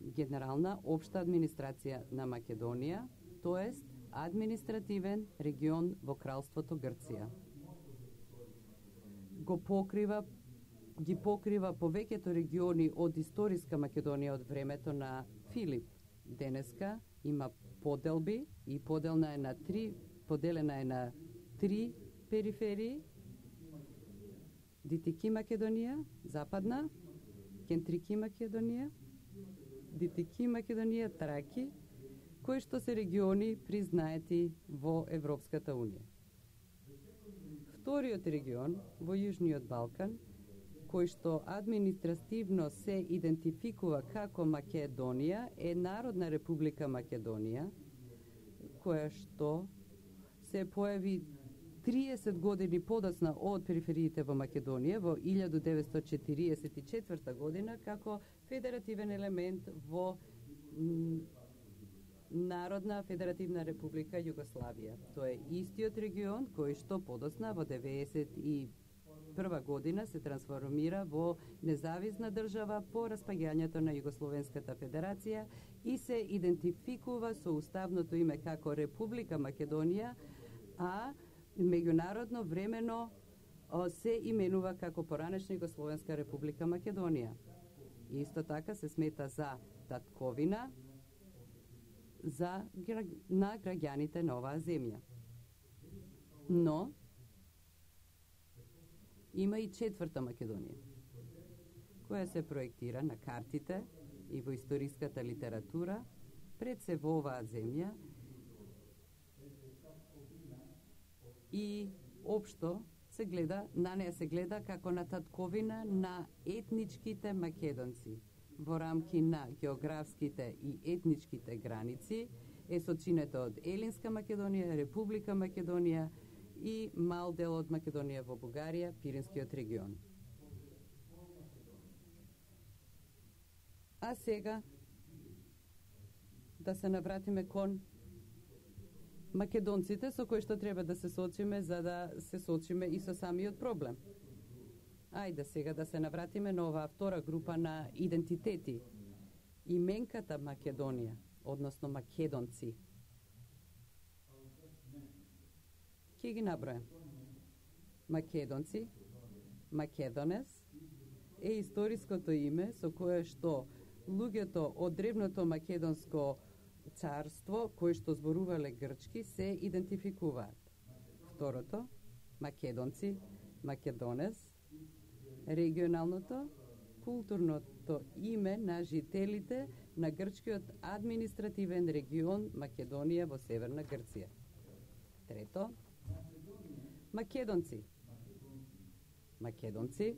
Генерална општа администрација на Македонија, тоест административен регион во кралството Грција. Го покрива ги покрива повеќето региони од историска Македонија од времето на Филип. Денеска има поделби и поделна е на три, поделена е на три периферии: Дитики Македонија, Западна, Кентрики Македонија, Дитики Македонија, Траки, кои што се региони признаети во Европската Унија. Вториот регион во Јужниот Балкан, кој што административно се идентификува како Македонија, е Народна Република Македонија, која што се појави триесет години подоцна од перифериите во Македонија во илјадум деветстотини четириесет и четврта година како федеративен елемент во Народна Федеративна Република Југославија. Тоа е истиот регион кој што подоцна во деветдесет и прва година се трансформира во независна држава по распаѓањето на Југословенската федерација и се идентификува со уставното име како Република Македонија, а меѓународно времено се именува како поранешна Југословенска Република Македонија. Исто така се смета за татковина за на граѓаните на оваа земја. Но има и четврта Македонија, која се проектира на картите и во историската литература пред се во оваа земја и општо се гледа, на неја се гледа како на татковина на етничките македонци. Во рамки на географските и етничките граници е сочинето од Елинска Македонија, Република Македонија и мал дел од Македонија во Бугарија, Пиринскиот регион. А сега да се навратиме кон македонците со кои што треба да се соочиме за да се соочиме и со самиот проблем. Ајде сега да се навратиме на оваа втора група на идентитети. Именката Македонија, односно македонци. Ке ги набројам. Македонци, Македонес е историското име со кое што луѓето од древното македонско царство, кои што зборувале грчки, се идентификуваат. Второто, македонци, Македонес, регионалното, културното име на жителите на грчкиот административен регион Македонија во Северна Грција. Трето, македонци. Македонци,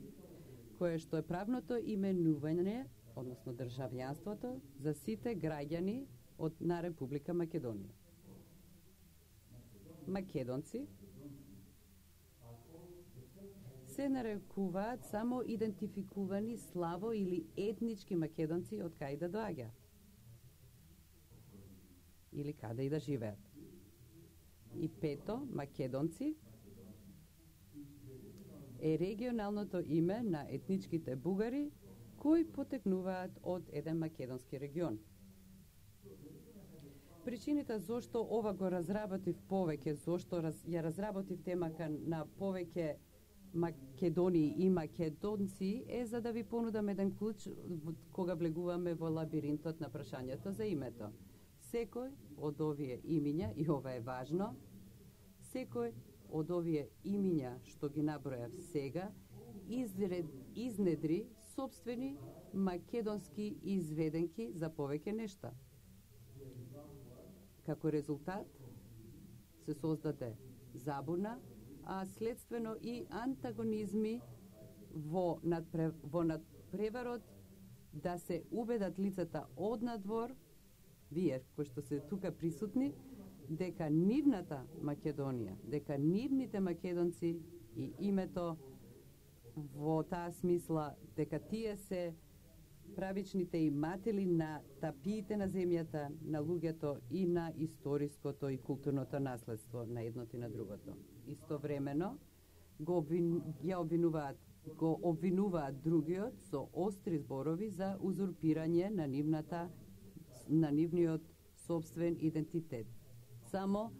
кое што е правното именување, односно државјанството, за сите граѓани од на Република Македонија. Македонци се нарекуваат само идентификувани славо или етнички македонци од кај да доаѓа или каде и да живеат. И пето, македонци е регионалното име на етничките бугари кои потекнуваат од еден македонски регион. Причините зошто ова го разработив повеќе, зошто раз, ја разработив темака на повеќе Македонии и македонци е за да ви понудам еден клуч кога влегуваме во лабиринтот на прашањето за името. Секој од овие имиња, и ова е важно, секој од овие имиња што ги набројав сега, изред, изнедри собствени македонски изведенки за повеќе нешта. Како резултат се создаде забуна, а следствено и антагонизми во, надпре, во надпреварот да се убедат лицата од надвор, вие кои што се тука присутни, дека нивната Македонија, дека нивните македонци и името во таа смисла, дека тие се правичните иматели на тапиите на земјата, на луѓето и на историското и културното наследство на едното и на другото. Истовремено го обвин, ја обвинуваат, го обвинуваат другиот со остри зборови за узурпирање на нивната на нивниот собствен идентитет. Само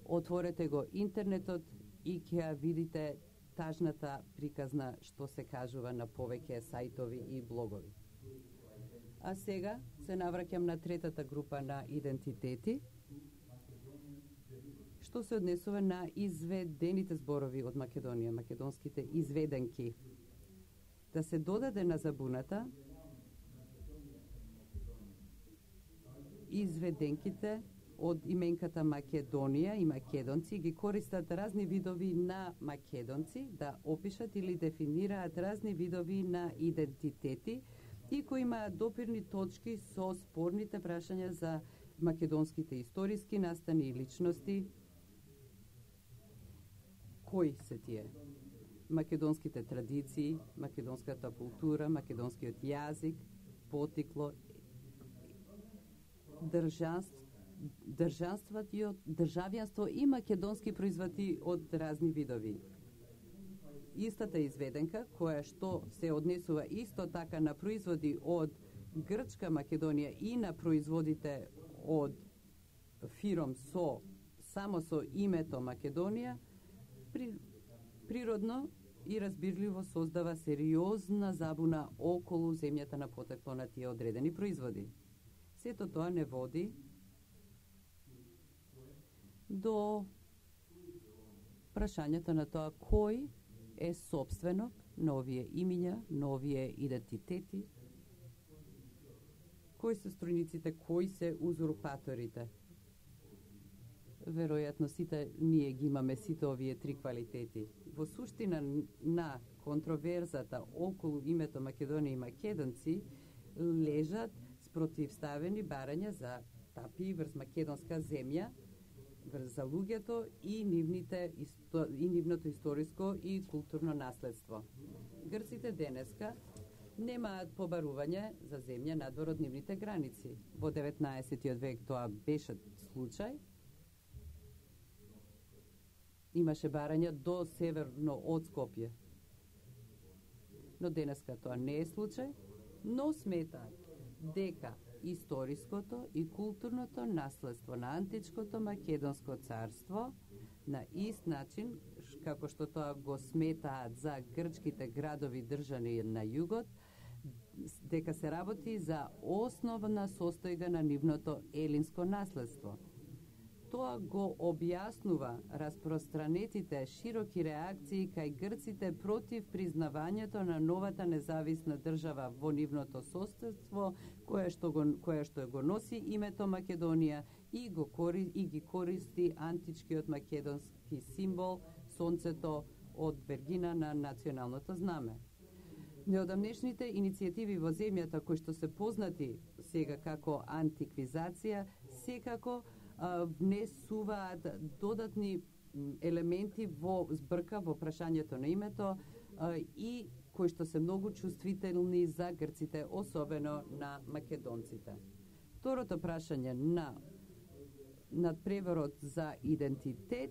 отворете го интернетот и ќе ја видите тажната приказна што се кажува на повеќе сајтови и блогови. А сега се навраќам на третата група на идентитети, што се однесува на изведените зборови од Македонија, македонските изведенки. Да се додаде на забуната изведенките од именката Македонија и македонци ги користат разни видови на македонци да опишат или дефинираат разни видови на идентитети и кои имаат допирни точки со спорните прашања за македонските историски настани и личности. Кои се тие? Македонските традиции, македонската култура, македонскиот јазик, потикло, држанство, државјанство и македонски производи од разни видови. Истата изведенка, која што се однесува исто така на производи од Грчка Македонија и на производите од фиром со само со името Македонија, при, природно и разбирливо создава сериозна забуна околу земјата на потекло на тие одредени производи. Сето тоа не води до прашањето на тоа кој е собственок на овие имиња, на овие идентитети, кои се струјниците, кои се узурпаторите. Веројатно сите ние ги имаме сите овие три квалитети. Во суштина на контроверзата околу името Македонија и македонци лежат спротивставени барања за тапии врз македонска земја, врз за луѓето и нивните исто, и нивното историско и културно наследство. Грците денеска немаат побарување за земја надвор од нивните граници. Во деветнаесеттиот век тоа беше случај. Имаше барања до северно од Скопје. Но денеска тоа не е случај, но сметаат дека историското и културното наследство на античкото македонско царство на ист начин како што тоа го сметаат за грчките градови држани на југот, дека се работи за основна состојга на нивното елинско наследство. Тоа го објаснува распространетите широки реакции кај грците против признавањето на новата независна држава во нивното соседство, кое што го кое што го носи името Македонија и го кори, и ги користи античкиот македонски символ сонцето од вергина на националното знаме. Неодамнешните иницијативи во земјата кои што се познати сега како антиквизација, секако а, внесуваат додатни елементи во збрка во прашањето на името а, и кои што се многу чувствителни за грците, особено на македонците. Второто прашање на надпреворот за идентитет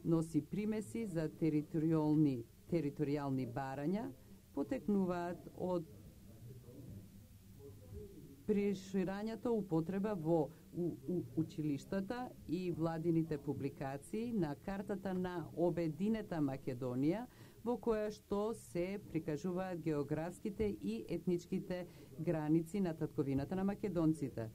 носи примеси за територијални територијални барања, потекнуваат од преширањето употреба во у, у, училиштата и владините публикации на картата на обединета Македонија, во која што се прикажуваат географските и етничките граници на татковината на македонците.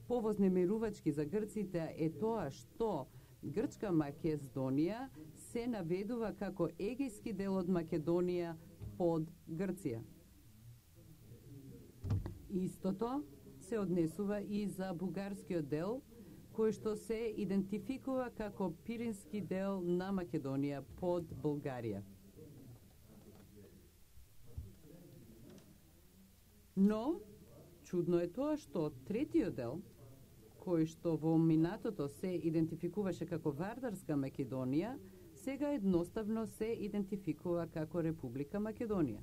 Повознемирувачки за грците е тоа што Грчка Македонија се наведува како егејски дел од Македонија под Грција. Истото се однесува и за бугарскиот дел, кој што се идентификува како пирински дел на Македонија под Булгарија. Но, чудно е тоа што третиот дел, кој што во минатото се идентификуваше како Вардарска Македонија, сега едноставно се идентификува како Република Македонија.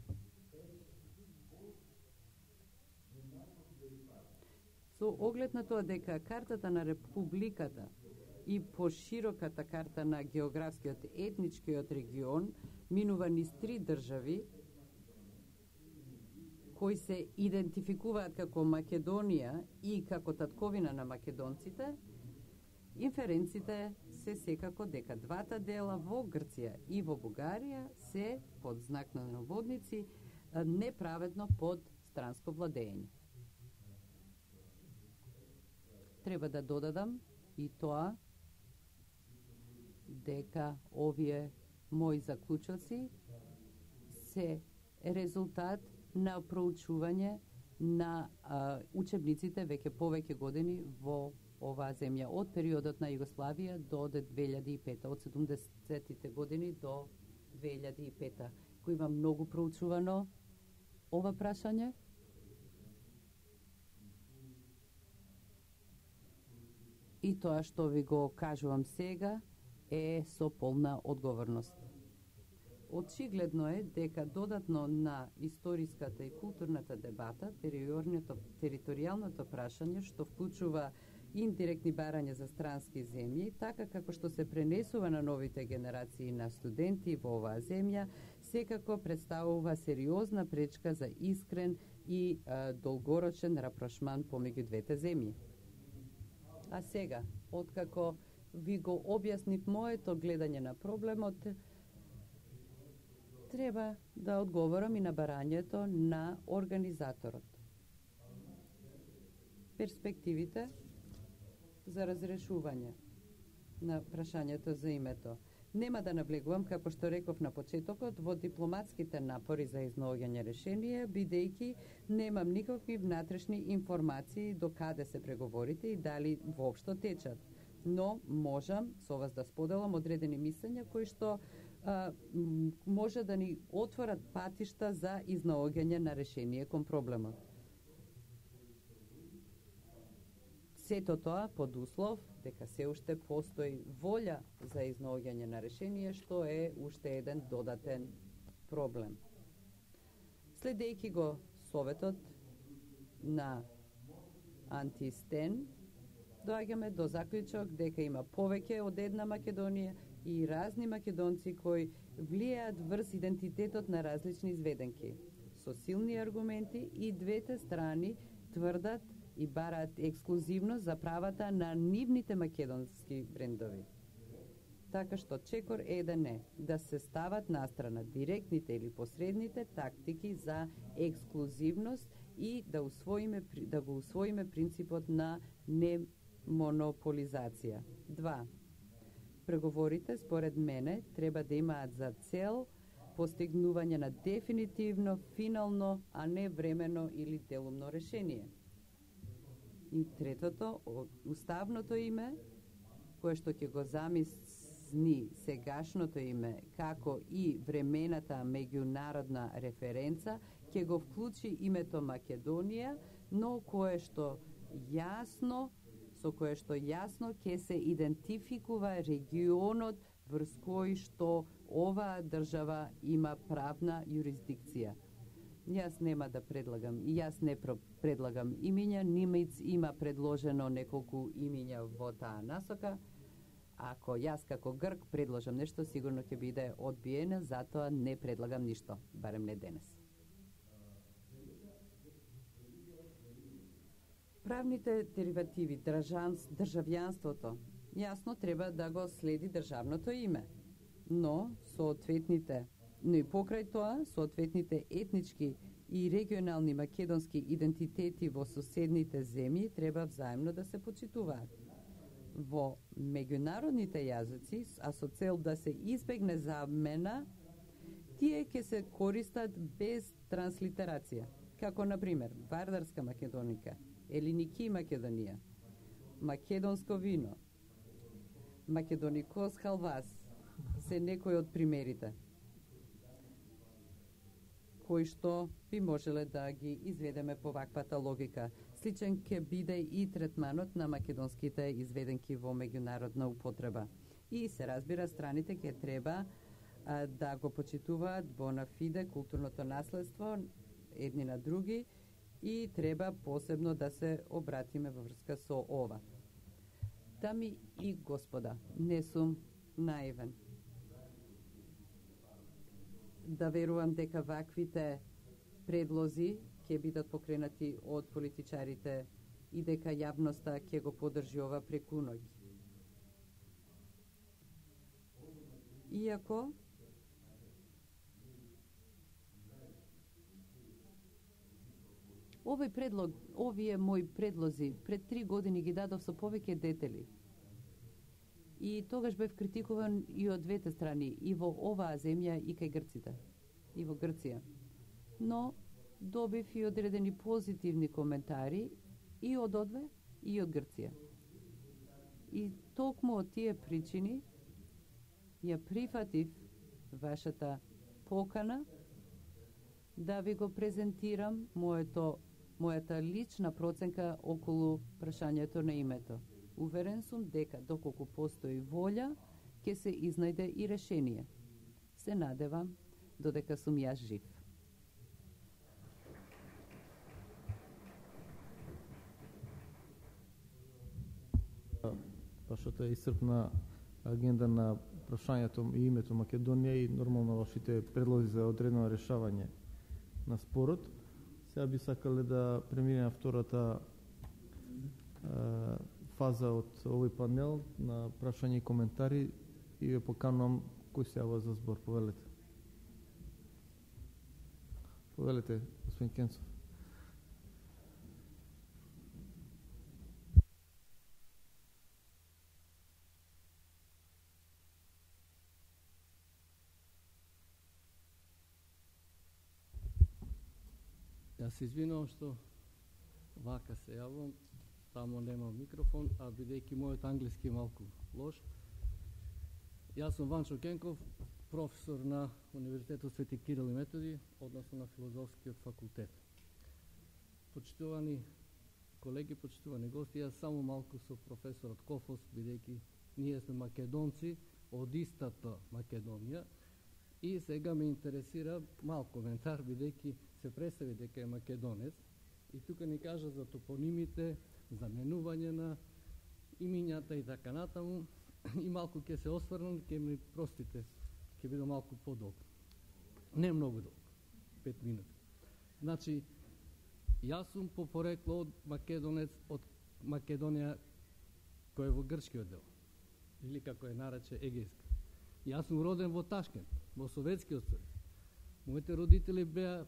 Со оглед на тоа дека картата на Републиката и пошироката карта на географскиот етничкиот регион минува низ три држави, кои се идентификуваат како Македонија и како татковина на македонците, инференците се секако дека двата дела во Грција и во Бугарија се, под знак на наводници, неправедно под странско владење. Треба да додадам и тоа дека овие мои заклучоци се резултат на проучување на а, учебниците веќе повеќе години во оваа земја, од периодот на Југославија до две илјади и пета, од седумдесетите години до две илјади и пета, кој има многу проучувано ова прашање. И тоа што ви го кажувам сега е со полна одговорност. Очигледно е дека додатно на историската и културната дебата, територијалното прашање, што вклучува индиректни барања за странски земји, така како што се пренесува на новите генерации на студенти во оваа земја, секако представува сериозна пречка за искрен и а, долгорочен рапрошман помеѓу двете земји. А сега, откако ви го објаснив моето гледање на проблемот, треба да одговорам и на барањето на организаторот. Перспективите за разрешување на прашањето за името. Нема да наблегувам, како што реков на почетокот, во дипломатските напори за изнаоѓање решение, бидејќи немам никакви внатрешни информации до каде се преговорите и дали воопшто течат. Но можам со вас да споделам одредени мислења кои што а, може да ни отворат патишта за изнаоѓање на решение кон проблемот. Сето тоа под услов дека се уште постои волја за изнаоѓање на решение, што е уште еден додатен проблем. Следејќи го советот на Антистен, доаѓаме до заклучок дека има повеќе од една Македонија и разни македонци кои влијаат врз идентитетот на различни изведенки. Со силни аргументи и двете страни тврдат и бараат ексклузивност за правата на нивните македонски брендови. Така што чекор еден е да се стават настрана директните или посредните тактики за ексклузивност и да усвоиме да го усвоиме принципот на немонополизација. Два. Преговорите, според мене, треба да имаат за цел постигнување на дефинитивно, финално, а не времено или делумно решение. И третото, уставното име, кое што ќе го замисни сегашното име, како и времената меѓународна референца, ќе го вклучи името Македонија, но кое што јасно, со кое што јасно ќе се идентификува регионот врз кој што оваа држава има правна юрисдикција. Јас нема да предлагам, и јас не предлагам имиња, Нимец има предложено неколку имиња во таа насока. Ако јас како Грк предложам нешто, сигурно ќе биде одбиено, затоа не предлагам ништо, барем не денес. Правните деривативи, држанс, државјанството, јасно треба да го следи државното име, но соодветните, но и покрај тоа, соодветните етнички и регионални македонски идентитети во соседните земји треба взаимно да се почитуваат. Во меѓународните јазици, а со цел да се избегне замена, тие ќе се користат без транслитерација, како на пример Вардарска Македоника, Елиники Македонија, македонско вино, Македоникос халвас, се некои од примерите кои што би можеле да ги изведеме по ваквата логика. Сличен ќе биде и третманот на македонските изведенки во меѓународна употреба. И се разбира, страните ќе треба а, да го почитуваат bona fide културното наследство едни на други и треба посебно да се обратиме во врска со ова. Дами и господа, не сум наивен да верувам дека ваквите предлози ќе бидат покренати од политичарите и дека јавноста ќе го поддржи ова преку ноќ. Иако овој предлог, овие мои предлози пред три години ги дадов со повеќе детели. И тогаш бев критикуван и од двете страни, и во оваа земја, и кај грците, и во Грција. Но добив и одредени позитивни коментари и од одве, и од Грција. И токму од тие причини ја прифатив вашата покана да ви го презентирам моето, мојата лична проценка околу прашањето на името. Уверен сум дека доколку постои волја, ќе се изнајде и решение. Се надевам додека сум јас жив. Вашата исцрпна агенда на прашањето и името Македонија и нормално вашите предлози за одредено решавање на спорот. Сега би сакале да преминеме на втората фаза од овој панел на прашања и коментари и ве поканувам кој се јава за збор. Повелете. Повелете, господин Кенцов. Јас се извинувам што вака се јавам, таму нема микрофон, а бидејќи мојот англиски е малку лош. Јас сум Ванчо Кенков, професор на Универзитетот Свети Кирил и Методи, односно на Филозофскиот факултет. Почитувани колеги, почитувани гости, јас само малку со професорот Кофос, бидејќи ние сме македонци од истата Македонија, и сега ме интересира мал коментар, бидејќи се представи дека е македонец, и тука ни кажа за топонимите, заменување на имињата и така натаму, и малку ќе се осврнам, ќе ми простите, ќе биде малку подолг. Не многу долг, пет минути. Значи, јас сум по порекло од македонец од Македонија, кој е во грчкиот дел, или како е нарече Егејска. Јас сум роден во Ташкент, во Советскиот сојуз. Моите родители беа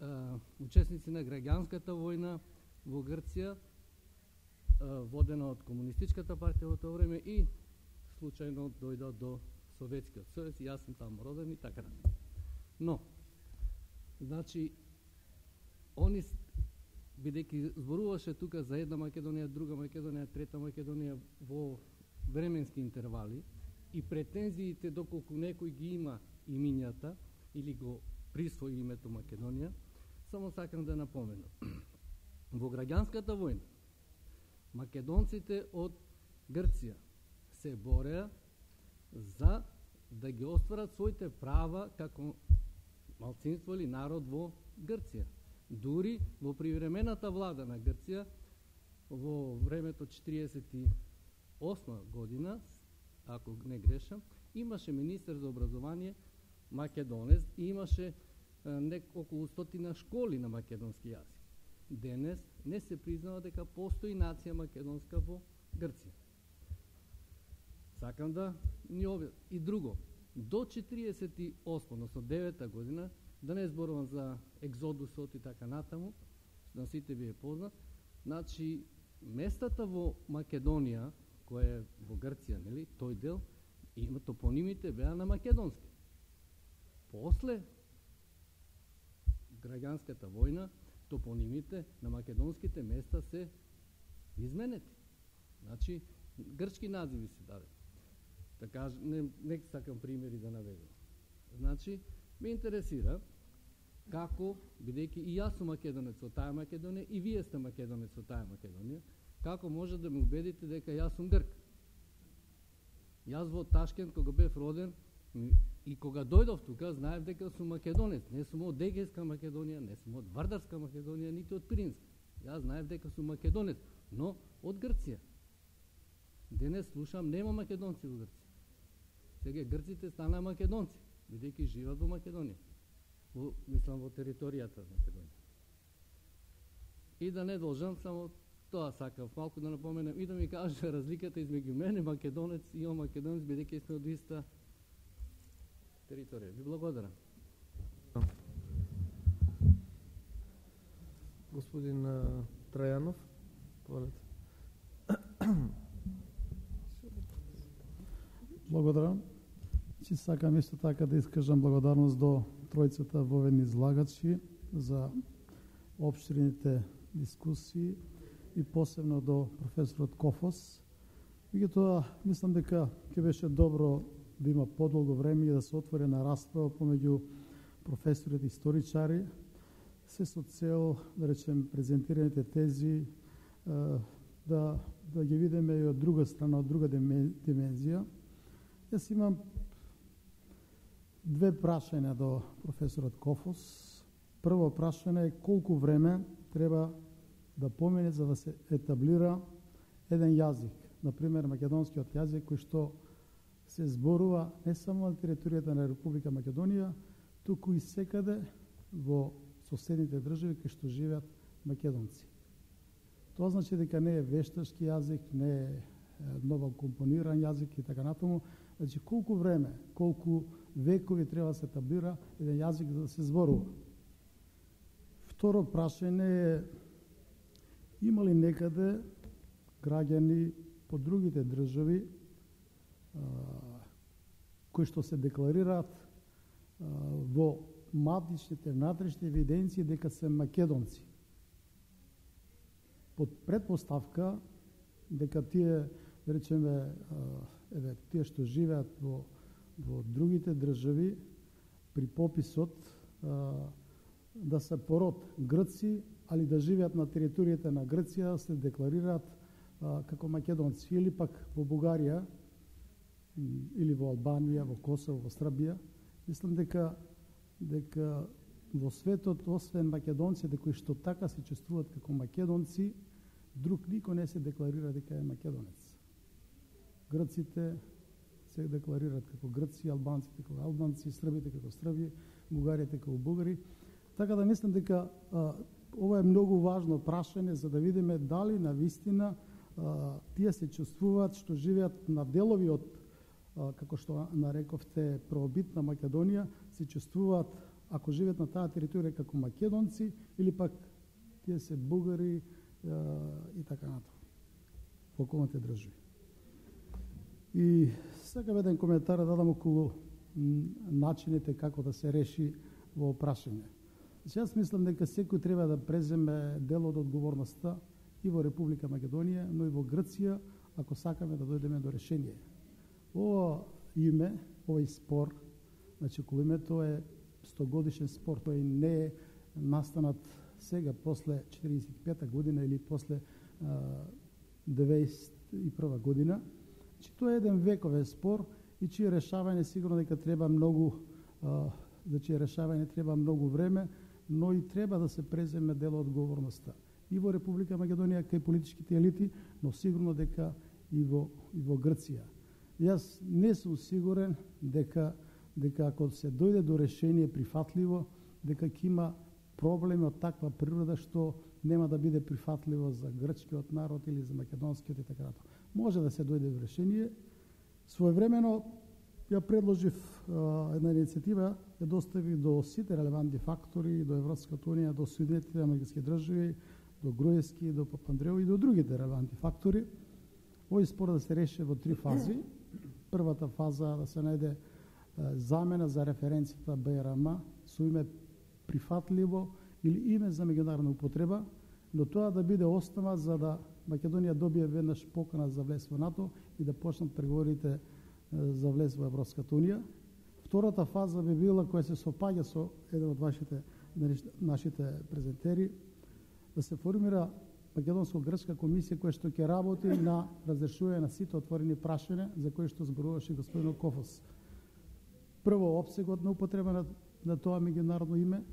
а, учесници на граѓанската војна во Грција, а, водена од комунистичката партија во тоа време, и случајно дојда до Советскиот сојуз, и јас сум таму роден и така натаму. Но, значи, они, бидејќи зборуваше тука за една Македонија, друга Македонија, трета Македонија во временски интервали, и претензиите доколку некој ги има имињата или го присвои името Македонија, само сакам да напоменам. Во граѓанската војна, македонците од Грција се бореа за да ги остварат своите права како малцинство или народ во Грција. Дури во привремената влада на Грција, во времето четириесет и осма година, ако не грешам, имаше министер за образование македонец и имаше не, околу стотина школи на македонски јазик. Денес не се признава дека постои нација македонска во Грција. Сакам да ни објаснам. И друго, до четириесет и осма, односно девета година, да не зборувам за екзодусот и така натаму, на сите ви е познат, значи местата во Македонија, која е во Грција, нели, тој дел, има топонимите беа на македонски. После граѓанската војна, топонимите на македонските места се изменети. Значи, грчки називи се даде. Така, не, не сакам примери да наведам. Значи, ме интересира како, бидејќи и јас сум македонец од таа Македонија, и вие сте македонец од таа Македонија, како може да ме убедите дека јас сум грк? Јас во Ташкент, кога бев роден, и кога дојдов тука, знаев дека сум македонец. Не сум од Егејска Македонија, не сум од Вардарска Македонија, нити од Пиринска. Јас знаев дека сум македонец, но од Грција. Денес слушам, нема македонци во Грција. Сега грците станаа македонци, бидејќи живеат во Македонија. Во, мислам, во територијата на Македонија. И да не должам, само тоа сакав малку да напоменам и да ми кажа разликата измеѓу мене, македонец и он македонец, бидејќи сме од иста територија. Ви благодарам. Господин uh, Трајанов, повелете. Благодарам. Че сакам исто така да искажам благодарност до тројцата воведни излагачи за општрените дискусии и посебно до професорот Кофос. Меѓутоа, мислам дека ќе беше добро да има подолго време и да се отвори на расправа помеѓу професорите и историчари, се со цел, да речем, презентираните тези да, да ги видиме и од друга страна, од друга димензија. Јас имам две прашања до професорот Кофос. Прво прашање е колку време треба да помине за да се етаблира еден јазик, например македонскиот јазик, кој што се зборува не само на територијата на Република Македонија, туку и секаде во соседните држави кај што живеат македонци. Тоа значи дека не е вешташки јазик, не е ново компониран јазик и така натаму. Значи колку време, колку векови треба да се етаблира еден јазик за да се зборува. Второ прашање е, има ли некаде граѓани по другите држави а, кои што се декларираат а, во матичните внатрешни евиденции дека се македонци, под предпоставка дека тие, да речеме, еве, тие што живеат во, во другите држави, при пописот а, да се пород грци, али да живеат на територијата на Грција, се декларираат а, како македонци, или пак во Бугарија, или во Албанија, во Косово, во Србија. Мислам дека дека во светот, освен македонците кои што така се чувствуваат како македонци, друг никој не се декларира дека е македонец. Грците се декларираат како грци, албанците како албанци, србите како срби, бугарите како бугари. Така да мислам дека а, ова е многу важно прашање за да видиме дали навистина а, тие се чувствуваат што живеат на делови од, а, како што нарековте, правобитна Македонија, се чувствуваат, ако живеат на таа територија како македонци, или пак тие се бугари а, и така натаму во околните држави. И сакам еден коментар да дадам околу начините како да се реши во прашање. Значи, јас мислам дека секој треба да преземе дел од одговорноста и во Република Македонија, но и во Грција, ако сакаме да дојдеме до решение. Ова име, овој спор, значи околу името е стогодишен спор, тој не е настанат сега после четиридесет и пета година или после деветдесет и прва година. Че тоа е еден вековен спор и чие решавање сигурно дека треба многу за чие решавање треба многу време, но и треба да се преземе дел од одговорноста и во Република Македонија кај политичките елити, но сигурно дека и во и во Грција. Јас не сум сигурен дека дека ако се дојде до решение прифатливо, дека ќе има проблеми од таква природа што нема да биде прифатливо за грчкиот народ или за македонскиот и така натаму. Може да се дојде до решение. Своевремено ја предложив а, една иницијатива, ја доставив до сите релевантни фактори, до Европската унија, до Соединетите американски држави, до Груевски, до Папандрео и до другите релевантни фактори. Овој спор да се реши во три фази. Првата фаза да се најде а, замена за референцијата БРМ со име прифатливо или име за меѓународна употреба, но тоа да биде основа за да Македонија добие веднаш покана за влез во НАТО и да почнат преговорите за влез во Европската унија. Втората фаза би била која се сопаѓа со еден од вашите нашите презентери, да се формира македонско-грчка комисија која што ќе работи на разрешување на сите отворени прашања за кои што зборуваше господин Кофос. Прво, опсегот на употреба на, на тоа меѓународно име.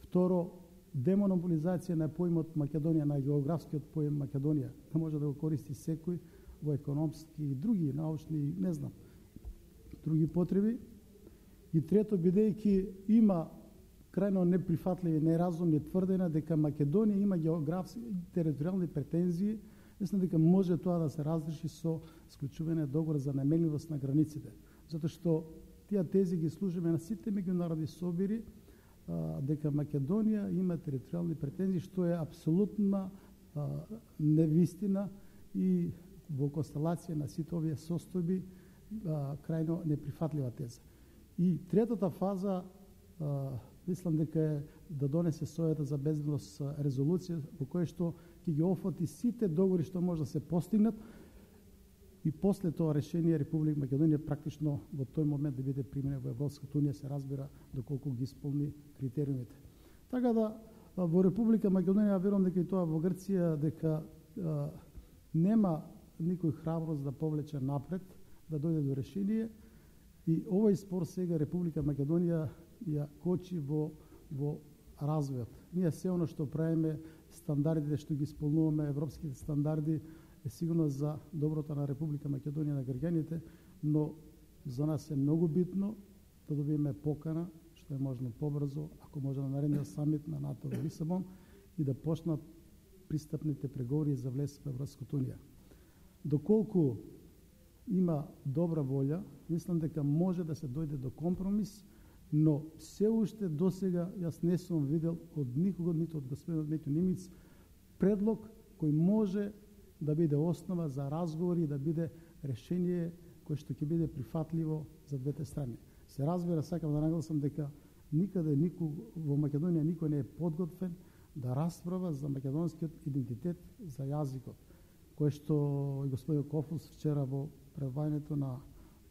Второ, демонополизација на поимот Македонија, на географскиот поим Македонија, да може да го користи секој во економски и други научни, не знам, други потреби. И трето, бидејќи има крајно неприфатливи, неразумни тврдења дека Македонија има географски територијални претензии, мислам дека може тоа да се разреши со склучување договор за наменливост на границите. Затоа што тие тези ги служиме на сите меѓународни собири, а, дека Македонија има територијални претензии, што е апсолутна а, невистина и во констелација на сите овие состојби а, крајно неприфатлива теза. И третата фаза, а, мислам дека е да донесе Советот за безбедност резолуција во која што ќе ги офати сите договори што може да се постигнат и после тоа решение Република Македонија практично во тој момент да биде применет во Европската унија, се разбира доколку ги исполни критериумите. Така да во Република Македонија, верувам дека и тоа во Грција, дека а, нема никој храброст да повлече напред, да дојде до решение и овој спор сега Република Македонија ја кочи во, во развојот. Ние се оно што правиме, стандардите што ги исполнуваме, европските стандарди, е сигурно за доброто на Република Македонија, на граѓаните, но за нас е многу битно да добиеме покана, што е можно побрзо, ако може на наредниот самит на НАТО во Лисабон, и да почнат пристапните преговори за влез во Европската унија. Доколку има добра волја, мислам дека може да се дојде до компромис, но се уште досега јас не сум видел од никого, ниту од господинот Метјо Нимиц, предлог кој може да биде основа за разговори и да биде решение кое што ќе биде прифатливо за двете страни. Се разбира, сакам да нагласам дека никаде никој во Македонија никој не е подготвен да расправа за македонскиот идентитет, за јазикот, кој што и господин Кофус вчера во предавањето на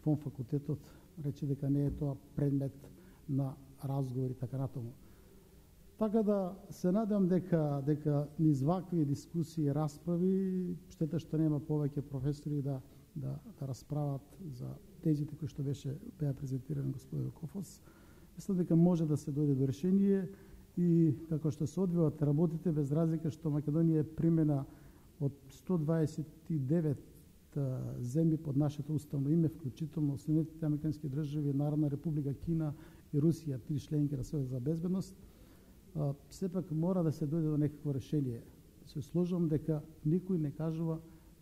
фон факултетот рече дека не е тоа предмет на разговори така натаму. Така да се надам дека дека низ вакви дискусии и расправи, штета што нема повеќе професори да да да расправат за тезите кои што беше беа презентирани господин Кофос. Мислам дека може да се дојде до решение и како што се одвиваат работите, без разлика што Македонија е примена од сто дваесет и девет земји под нашето уставно име, вклучително Соединетите американски држави, Народна република Кина и Русија, три членки на Советот за безбедност, а, сепак мора да се дојде до некакво решение. Се сложам дека никој не кажува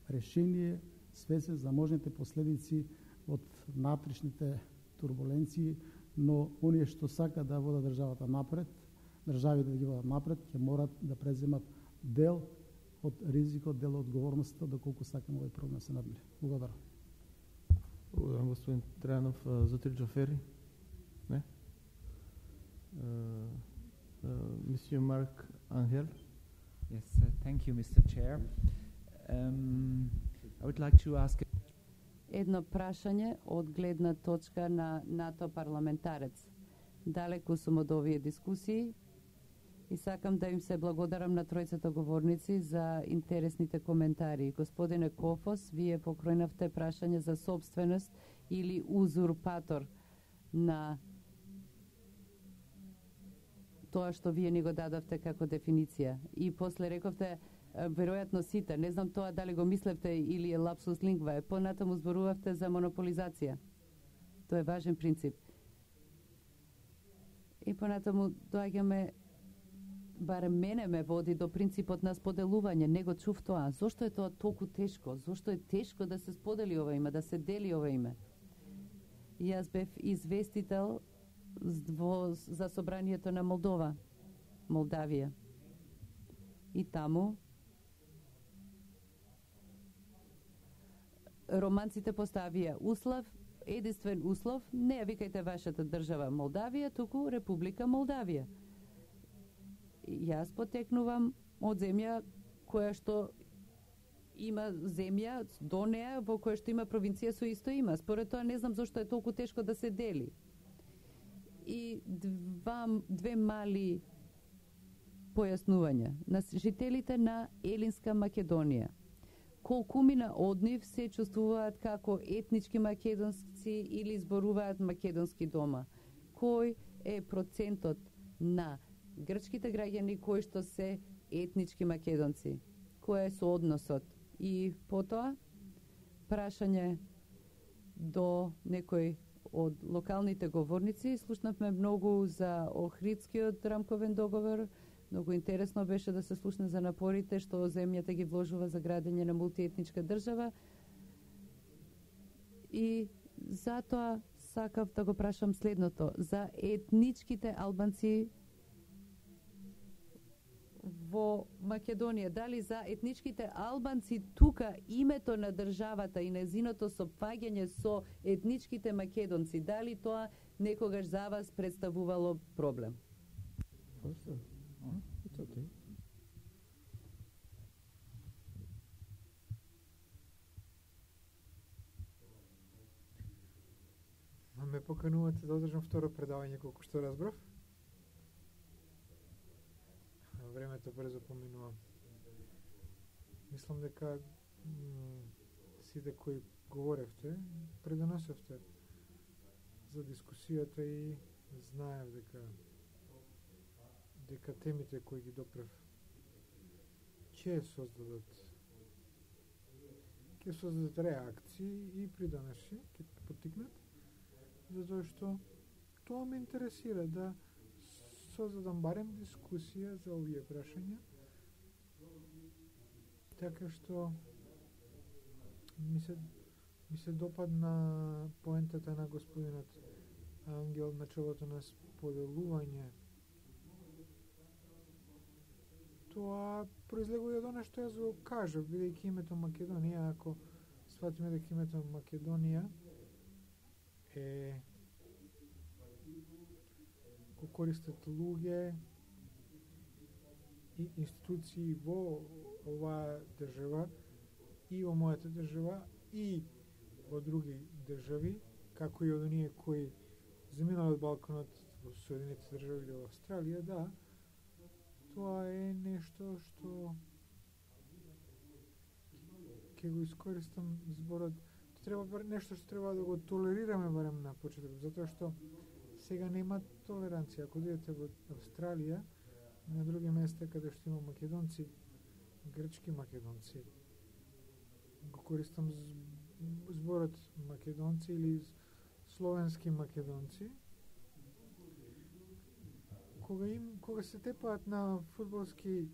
решение свесен за можните последици од натришните турбуленции, но оние што сака да водат државата напред, државите да ги водат напред, ќе морат да преземат дел од ризикот, дел од одговорноста, доколку сакаме овој проблем се надмири. Благодарам. Благодарам, господин Трајанов. За три Джафери? Не? Мисио Марк Ангел? Yes, uh, thank you, Mister Chair. Um, I would like to ask... Едно прашање од гледна точка на НАТО парламентарец. Далеку сум од овие дискусии И сакам да им се благодарам на тројцата говорници за интересните коментари. Господине Кофос, вие покројнавте прашање за собственост или узурпатор на тоа што вие ни го дадовте како дефиниција. И после рековте, веројатно сите, не знам тоа дали го мислевте или е лапсус лингва, понатаму зборувавте за монополизација. Тоа е важен принцип. И понатаму доаѓаме, барем мене ме води до принципот на споделување, не го чув тоа. Зошто е тоа толку тешко? Зошто е тешко да се сподели ова име, да се дели ова име? Јас бев известител за собранието на Молдова, Молдавија. И таму романците поставија услов, единствен услов, не ја викајте вашата држава Молдавија, туку Република Молдавија. Јас потекнувам од земја која што има земја до неа во која што има провинција со исто има. Според тоа не знам зошто е толку тешко да се дели. И два, две мали појаснувања. На жителите на Елинска Македонија. Колкумина од нив се чувствуваат како етнички македонци или зборуваат македонски дома. Кој е процентот на грчките граѓани кои што се етнички македонци? Кој е соодносот? И потоа, прашање до некој од локалните говорници. Слушнавме многу за Охридскиот рамковен договор. Многу интересно беше да се слушне за напорите што земјата ги вложува за градење на мултиетничка држава. И затоа сакав да го прашам следното. За етничките албанци во Македонија, дали за етничките албанци тука името на државата и незиното сопфаѓање со етничките македонци, дали тоа некогаш за вас представувало проблем? It's okay. Ме поканувате да одржам второ предавање колку што разбрав. Времето брзо поминува. Мислам дека сите кои говоревте, предонесовте за дискусијата и знаев дека дека темите кои ги допрев ќе создадат ќе создадат реакции и придонеси, ќе поттикнат, затоа што тоа ме интересира да создадам барем дискусија за овие прашања, така што ми се, ми се допадна поентата на господинот Ангел, началото на споделување. Тоа произлегува од она што јас го кажав, бидејќи името Македонија, ако сватиме дека името Македонија е го користат луѓе и институции во оваа држава и во мојата држава и во други држави, како и од оние кои заминале од Балканот во Соединетите држави или во Австралија, да, тоа е нешто што ќе го искористам зборот. Треба нешто што треба да го толерираме барем на почетокот, затоа што сега нема толеранција. Ако одидете во Австралија, на други места каде што има македонци, грчки македонци, го користам зборот македонци или словенски македонци, кога им кога се тепаат на фудбалски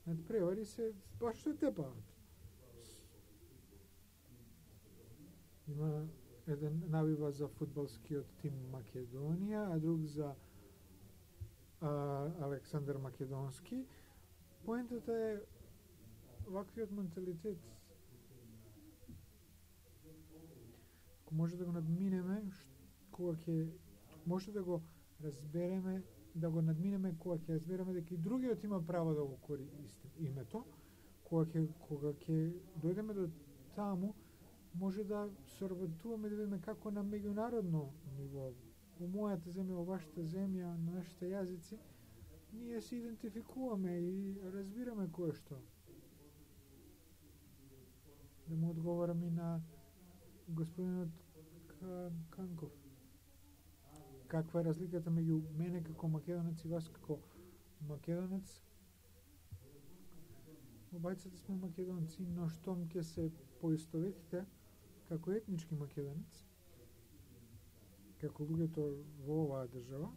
надпревари, се баш се тепаат. Има еден навива за фудбалскиот тим Македонија, а друг за а, Александар Македонски. Поентата е ваквиот менталитет. Ако може да го надминеме, кога ќе може да го разбереме, да го надминеме кога ќе разбереме дека и другиот има право да го користи името, кога ќе кога ќе дојдеме до таму, може да соработуваме да видиме како на меѓународно ниво, во мојата земја, во вашата земја, на нашите јазици, ние се идентификуваме и разбираме кое што. Да му одговорам и на господинот Канков. Каква е разликата меѓу мене како македонец и вас како македонец? Обајцата сме македонци, но штом ќе се поистоветите како етнички македонец, како луѓето во оваа држава,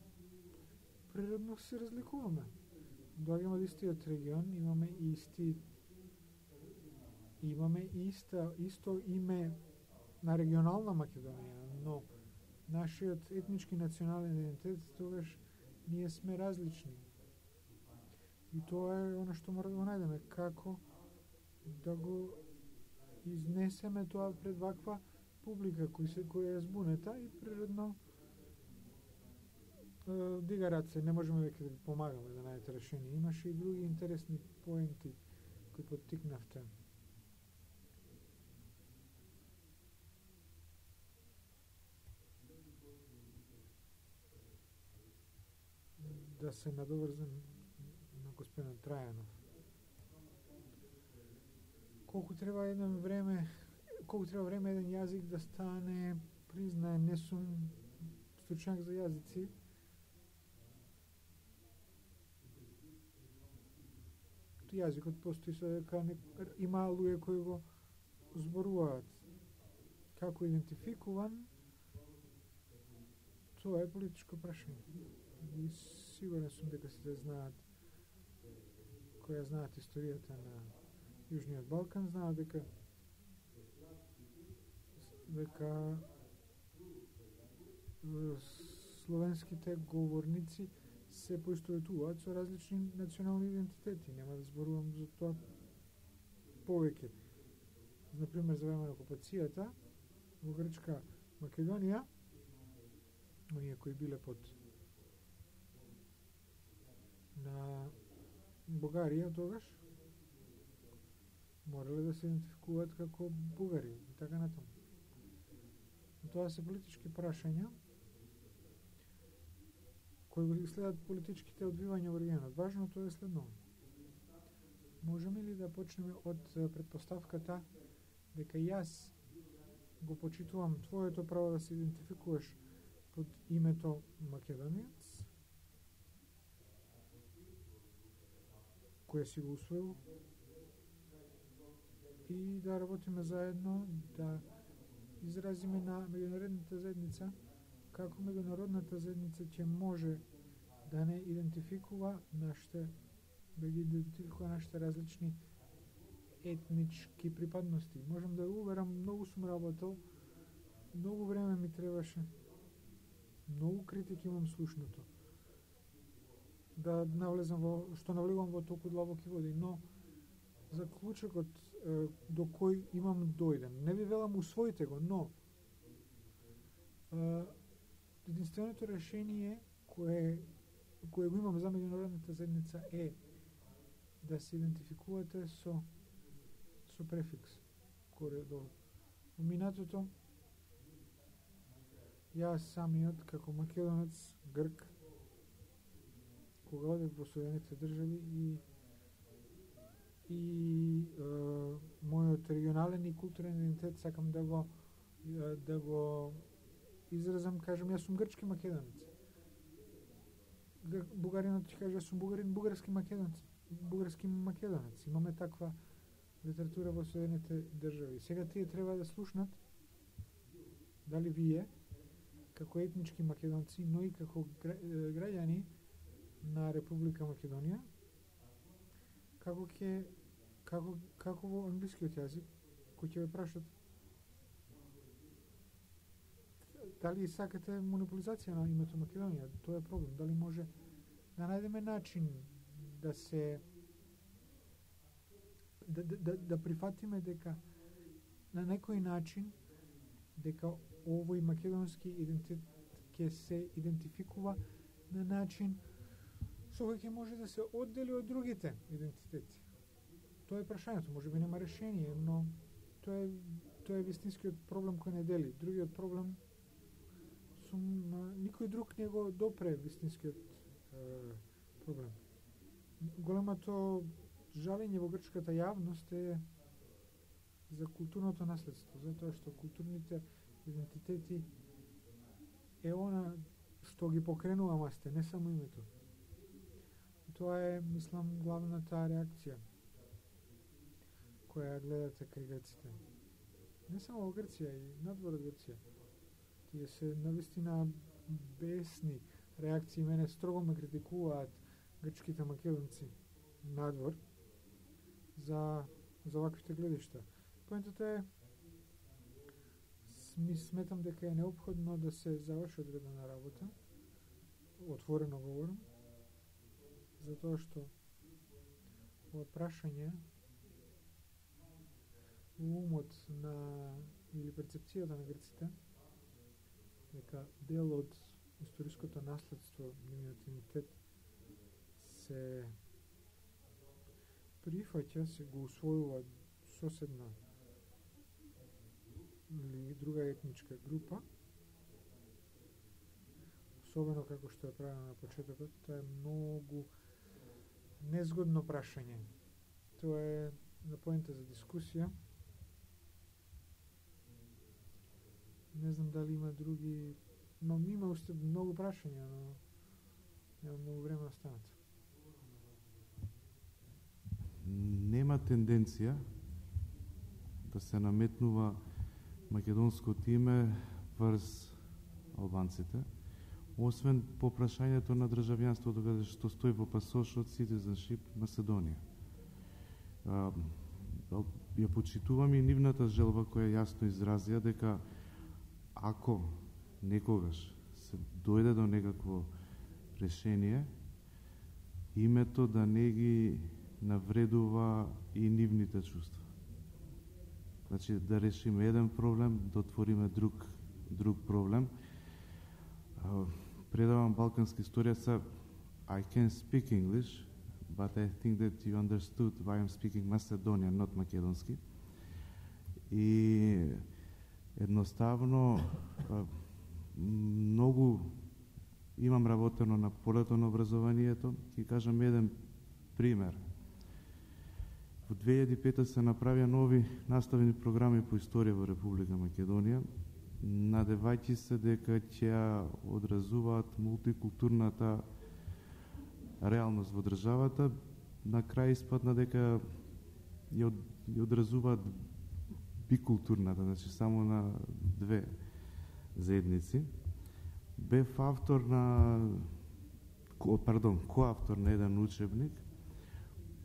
природно се разликуваме. Доаѓаме од истиот регион, имаме исти имаме иста, исто име на регионална Македонија, но нашиот етнички национален идентитет тогаш ние сме различни. И тоа е она што мора да го најдеме, како да го изнесеме тоа пред ваква публика кој се која е збунета и природно е, дига раце, не можеме веќе да ви помагаме да најдете решение. Имаше и други интересни поенти кои поттикнавте. Да се надоврзам на господин Трајанов. Колку треба едно време, колку треба време еден јазик да стане признаен, не сум стручњак за јазици. Јазикот постои со дека има луѓе кои го зборуваат. Како идентификуван, тоа е политичко прашање. И сигурен сум дека сите знаат, која знаат историјата на Јужниот Балкан, знаат дека дека словенските говорници се поистоветуваат со различни национални идентитети. Нема да зборувам за тоа повеќе. Например, за време на окупацијата во Грчка Македонија, оние кои биле под на Бугарија тогаш, морале да се идентификуваат како бугари и така натаму. Тоа се политички прашања кои го следат политичките одвивања во регионот. Важното е следно. Можеме ли да почнеме од предпоставката дека јас го почитувам твоето право да се идентификуваш под името македонец, кој си го усвоил, и да работиме заедно, да изразиме на меѓународната заедница како меѓународната заедница ќе може да не идентификува нашите да ги идентификува нашите различни етнички припадности. Можам да уверам, многу сум работел, многу време ми требаше, многу критики имам слушнато, да навлезам во, што навлегувам во толку длабоки води, но заклучокот е, до кој имам дојден. Не ви велам усвоите го, но е, единственото решение кое, кое го имам за меѓународната заедница е да се идентификувате со со префикс коре до минатото. Јас самиот како македонец, грк, кога одев во Соединетите држави и и е, мојот регионален и културен идентитет сакам да го е, да го изразам, кажам, јас сум грчки македонец. Бугаринот ќе каже, јас сум бугарин, бугарски македонец, бугарски македонец. Имаме таква литература во Соединетите држави. Сега тие треба да слушнат дали вие, како етнички македонци, но и како граѓани на Република Македонија, како ќе како како во англискиот јазик, кој ќе ве прашат дали сакате монополизација на името Македонија, тоа е проблем. Дали може да најдеме начин да се да, да, да, да прифатиме дека на некој начин дека овој македонски идентитет ќе се идентификува на начин со кој ќе може да се оддели од другите идентитети. Тоа е прашањето, може би нема решение, но тоа е тоа е вистинскиот проблем кој не дели. Другиот проблем сум никој друг не го допре вистинскиот е, проблем. Големото жалење во грчката јавност е за културното наследство, затоа што културните идентитети е она што ги покренува масте, не само името. Тоа е, мислам, главната реакција која гледате кај грците. Не само во Грција, и надвор од Грција. Тие се навистина бесни реакции, мене строго ме критикуваат грчките македонци надвор за, за ваквите гледишта. Поентата е, ми сметам дека е неопходно да се заврши одредена работа, отворено говорам, затоа што ова прашање во умот на или перцепцијата на грците дека дел од историското наследство, нивниот идентитет се прифаќа, се го усвојува соседна или друга етничка група, особено како што е правено на почетокот, тоа е многу незгодно прашање. Тоа е на поента за дискусија. Не знам дали има други, но има уште многу прашања, но нема многу време останато. Нема тенденција да се наметнува македонското име врз албанците, освен по прашањето на државјанството, каде што стои во пасошот Citizenship Macedonија. А, ја почитувам и нивната желба која јасно изразија дека ако некогаш се дојде до некакво решение, името да не ги навредува и нивните чувства. Значи, да решиме еден проблем, да отвориме друг, друг проблем. Uh, предавам балканска историја, са I can speak English, but I think that you understood why I'm speaking Macedonian, not македонски. И едноставно uh, многу имам работено на полето на образованието. Ќе кажам еден пример. Во две илјади и пета се направија нови наставени програми по историја во Република Македонија, надевајќи се дека ќе одразуваат мултикултурната реалност во државата. На крај испадна дека ја одразуваат бикултурната, значи само на две заедници. Бев автор на, пардон, коавтор на еден учебник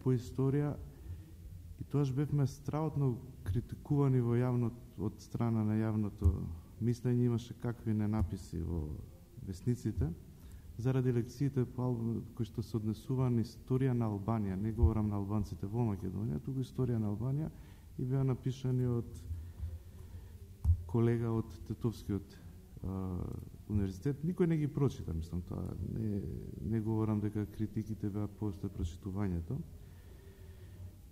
по историја, и тоаш бевме страутно критикувани во јавно, од страна на јавното мислење, имаше какви ненаписи во весниците, заради лекциите кои што се однесува на историја на Албанија. Не говорам на албанците во Македонија, туку историја на Албанија, и беа напишани од колега од Тетовскиот а, универзитет. Никој не ги прочита, мислам, тоа. Не, не говорам дека критиките беа после прочитувањето.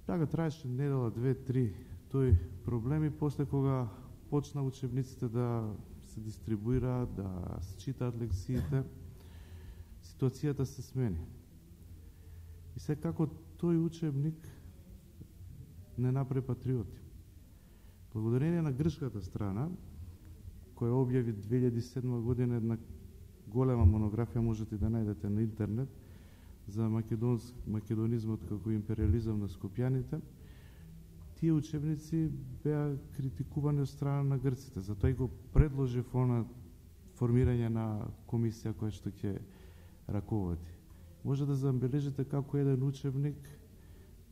Така траеше недела, две, три, тој проблеми, после кога почна учебниците да се дистрибуираат, да се читаат лекциите, ситуацијата се смени. И секако тој учебник не направи патриоти. Благодарение на грчката страна, која објави две илјади и седма година една голема монографија, можете да најдете на интернет, за македонизмот како империализам на скопјаните, тие учебници беа критикувани од страна на грците. Затоа и го предложив она формирање на комисија која што ќе раководи. Може да забележите како еден учебник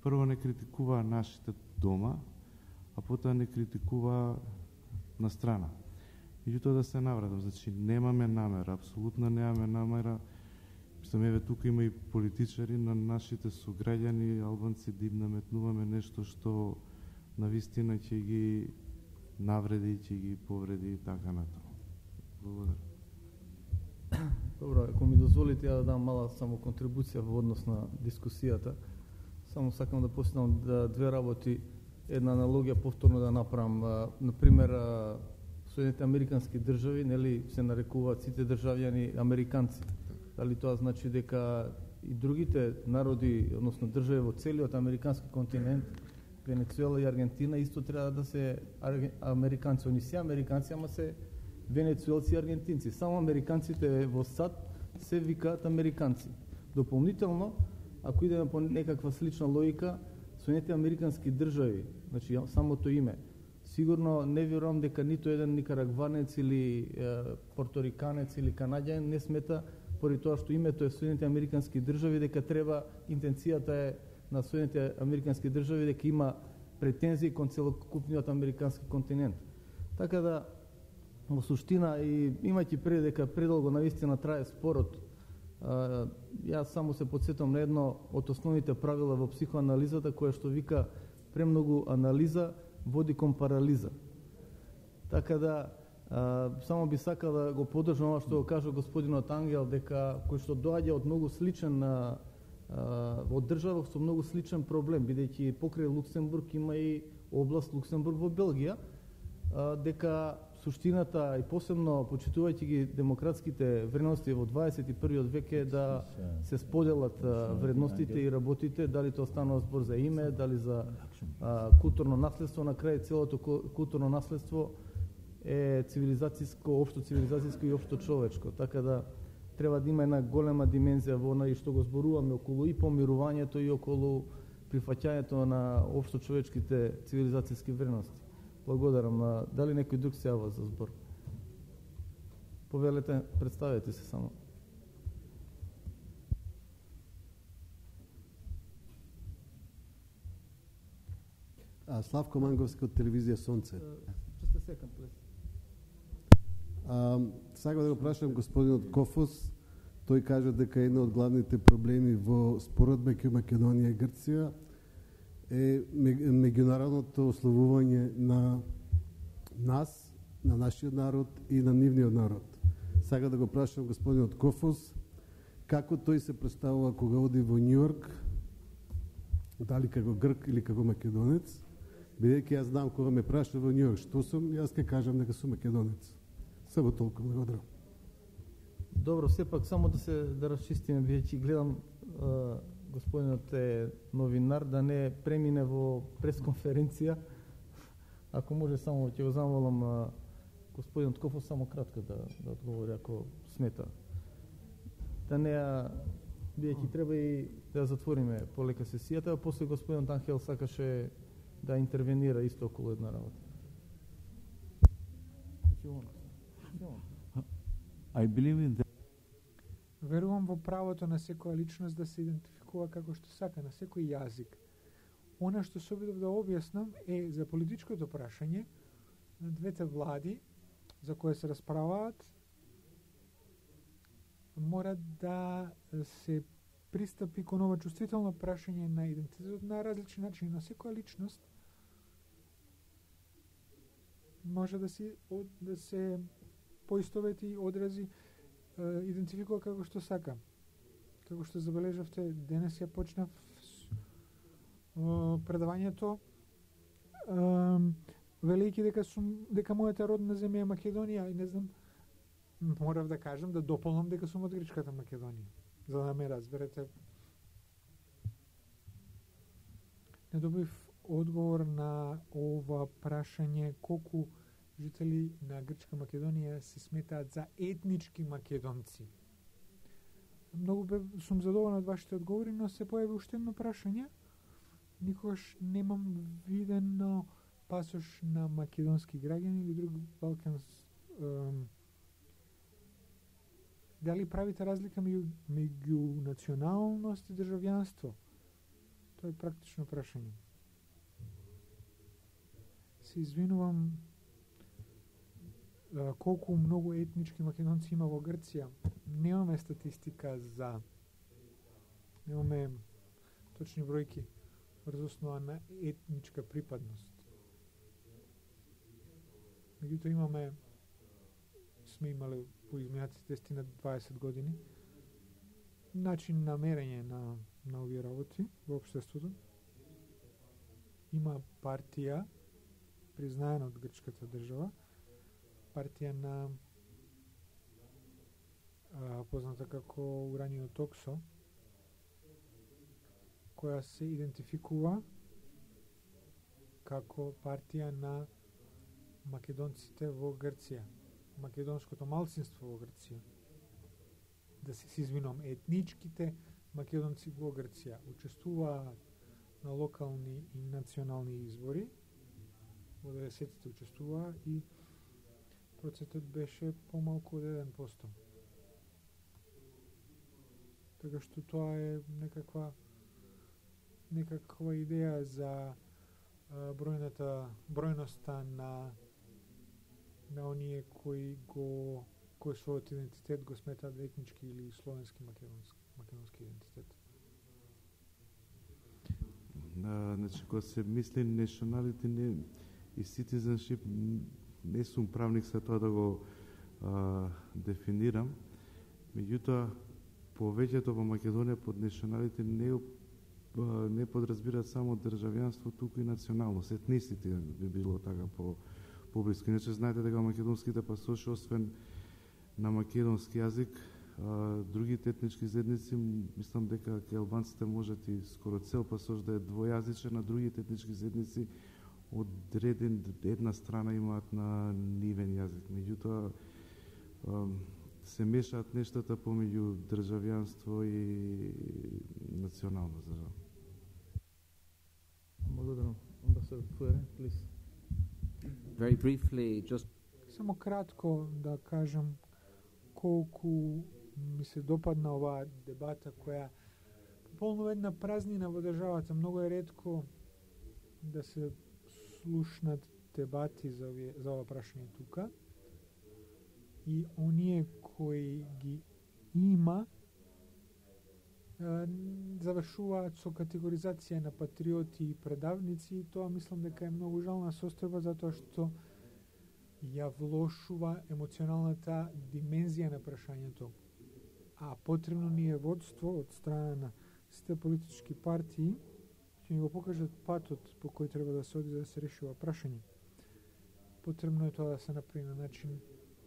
прво не критикува нашите дома, а потоа не критикува на страна. Меѓутоа да се навратам, значи немаме намера, апсолутно немаме намера. Мислам, еве тука има и политичари, на нашите сограѓани албанци да им наметнуваме нешто што навистина ќе ги навреди, ќе ги повреди и така натаму. Благодарам. Добро, ако ми дозволите, ја да дам мала само контрибуција во однос на дискусијата. Само сакам да посетам да две работи, една аналогија повторно да направам. Например, Соединените американски држави, нели, се нарекуваат сите државјани американци. Дали тоа значи дека и другите народи, односно држави во целиот американски континент, Венецуела и Аргентина, исто треба да се американци. Они се американци, ама се венецуелци и аргентинци. Само американците во САД се викаат американци. Дополнително, ако идеме по некаква слична логика, Соединетите американски држави, значи самото име, сигурно не верувам дека ниту еден никарагванец или е, порториканец или канаѓанин не смета, поради тоа што името е Соединените американски држави, дека треба, интенцијата е на Соединените американски држави дека има претензии кон целокупниот американски континент. Така да, во суштина, и имајќи пред дека предолго навистина трае спорот, а, јас само се подсетам на едно од основните правила во психоанализата, кое што вика премногу анализа води кон парализа. Така да, а, само би сакал да го поддржам ова што го кажа господинот Ангел, дека кој што доаѓа од многу сличен на од држава со многу сличен проблем, бидејќи покрај Луксембург има и област Луксембург во Белгија, дека суштината и посебно почитувајќи ги демократските вредности во дваесет и првиот век е да се споделат вредностите и работите, дали тоа станува збор за име, дали за а, културно наследство. На крај целото културно наследство е цивилизацијско, општо цивилизацијско и општо човечко. Така да треба да има една голема димензија во она и што го зборуваме околу и помирувањето и околу прифаќањето на општо човечките цивилизацијски вредности. Благодарам. Дали некој друг се јава за збор? Повелете, представете се само. А, Славко Манговски од телевизија Сонце. Just a second, please. А, сакам да го прашам господинот Кофос. Тој кажа дека една од главните проблеми во спорот меѓу Македонија и Грција е меѓународното ославување на нас, на нашиот народ и на нивниот народ. Сакам да го прашам господинот Кофос како тој се представува кога оди во Њујорк, дали како грк или како македонец, бидејќи јас знам кога ме праша во Њујорк што сум, јас ќе кажам дека сум македонец. Само толку, благодарам. Добро, сепак само да се да расчистиме, бидејќи гледам а, господинот е новинар, да не премине во пресконференција. Ако може само ќе го замолам а, господинот Кофос само кратко да, да одговори, ако смета. Да не, бидејќи треба и да затвориме полека сесијата, а после господинот Анхел сакаше да интервенира исто околу една работа. I believe in that. Верувам во правото на секоја личност да се идентификува како што сака, на секој јазик. Она што се обидов да објаснам е за политичкото прашање на двете влади за кои се расправаат, мора да се пристапи кон ова чувствително прашање на идентитетот на различни начини. На секоја личност може да се, да се поистовети, одрази, идентификува како што сака. Како што забележавте, денес ја почнав предавањето велејќи дека сум дека мојата родна земја е Македонија и не знам, морав да кажам да дополнам дека сум од грчката Македонија, за да ме разберете. Не добив одговор на ова прашање колку жители на Грчка Македонија се сметаат за етнички македонци. Многу бе, сум задоволен од вашите одговори, но се појави уште едно прашање. Никогаш немам видено пасош на македонски граѓани или друг балканс. Ем, дали правите разлика меѓу, меѓу националност и државјанство? Тоа е практично прашање. Се извинувам колку многу етнички македонци има во Грција. Немаме статистика за... Немаме точни бројки врз основа на етничка припадност. Меѓутоа имаме, сме имале по изминатите десет на дваесет години начин на мерење на, на овие работи во општеството. Има партија признаена од грчката држава, партија на а, позната како Уранио Токсо, која се идентификува како партија на македонците во Грција, македонското малцинство во Грција. Да се извинувам, етничките македонци во Грција учествуваат на локални и национални избори. Во деветдесетите учествуваа и процентот беше помалку од еден процент. Така што тоа е некаква некаква идеја за а, бројната бројноста на на оние кои го кој својот идентитет го сметаат етнички или словенски македонски македонски идентитет. Uh, значи, кога се мисли nationality не, и citizenship, не сум правник за тоа да го uh, дефинирам. Меѓутоа, повеќето во Македонија под nationality не, uh, не подразбира само државјанство, туку и националност. Етнисите би било така по поблиску. Иначе знаете дека македонските пасоши, освен на македонски јазик, а, другите етнички заедници, мислам дека ке албанците можат и скоро цел пасош да е двојазичен, на другите етнички заедници одреден една страна имаат на нивен јазик. Меѓутоа се мешаат нештата помеѓу државјанство и националност, за жал. Благодарам. Амбасадор Фуере, please. Very briefly, just Само кратко да кажам колку ми се допадна оваа дебата која пополнува една празнина во државата. Многу е ретко да се слушнат дебати за, овие, за ова прашање тука. И оние кои ги има завршуваат со категоризација на патриоти и предавници, и тоа мислам дека е многу жална состојба, затоа што ја влошува емоционалната димензија на прашањето. А потребно ни е водство од страна на сите политички партии, ќе ни го покажат патот по кој треба да се оди да се реши ова прашање. Потребно е тоа да се направи на начин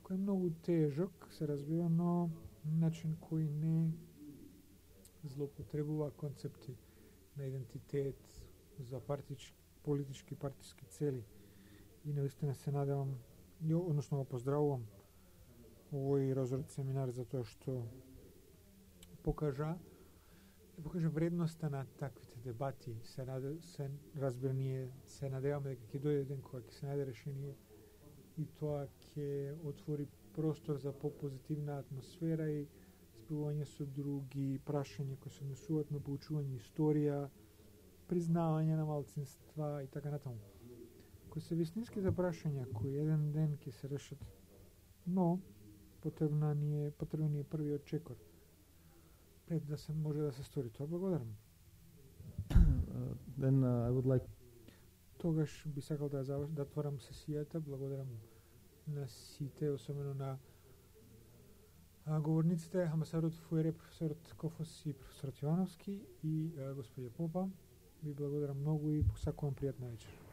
кој е многу тежок, се разбира, но начин кој не злоупотребува концепти на идентитет за партички, политички партиски цели. И наистина се надевам, односно го поздравувам овој разорот семинар за тоа што покажа покажа вредноста на таквите дебати. Се, наде, се разбира, ние се надеваме дека ќе дојде ден кога ќе се најде решение и тоа ќе отвори простор за попозитивна атмосфера и спивање со други прашања кои се однесуваат на поучување историја, признавање на малцинства и така натаму. Кои се вистинските прашања кои еден ден ќе се решат, но потребна ни е, потребен ни е првиот чекор пред да се може да се стори тоа. Благодарам. Uh, then uh, I would like Тогаш би сакал да завршам, да отворам сесијата. Благодарам на сите, особено на а, говорниците, амбасадорот Фуере, професорот Кофос и професорот Јовановски и а, господја Попа. Ви благодарам многу и посакувам пријатна вечер.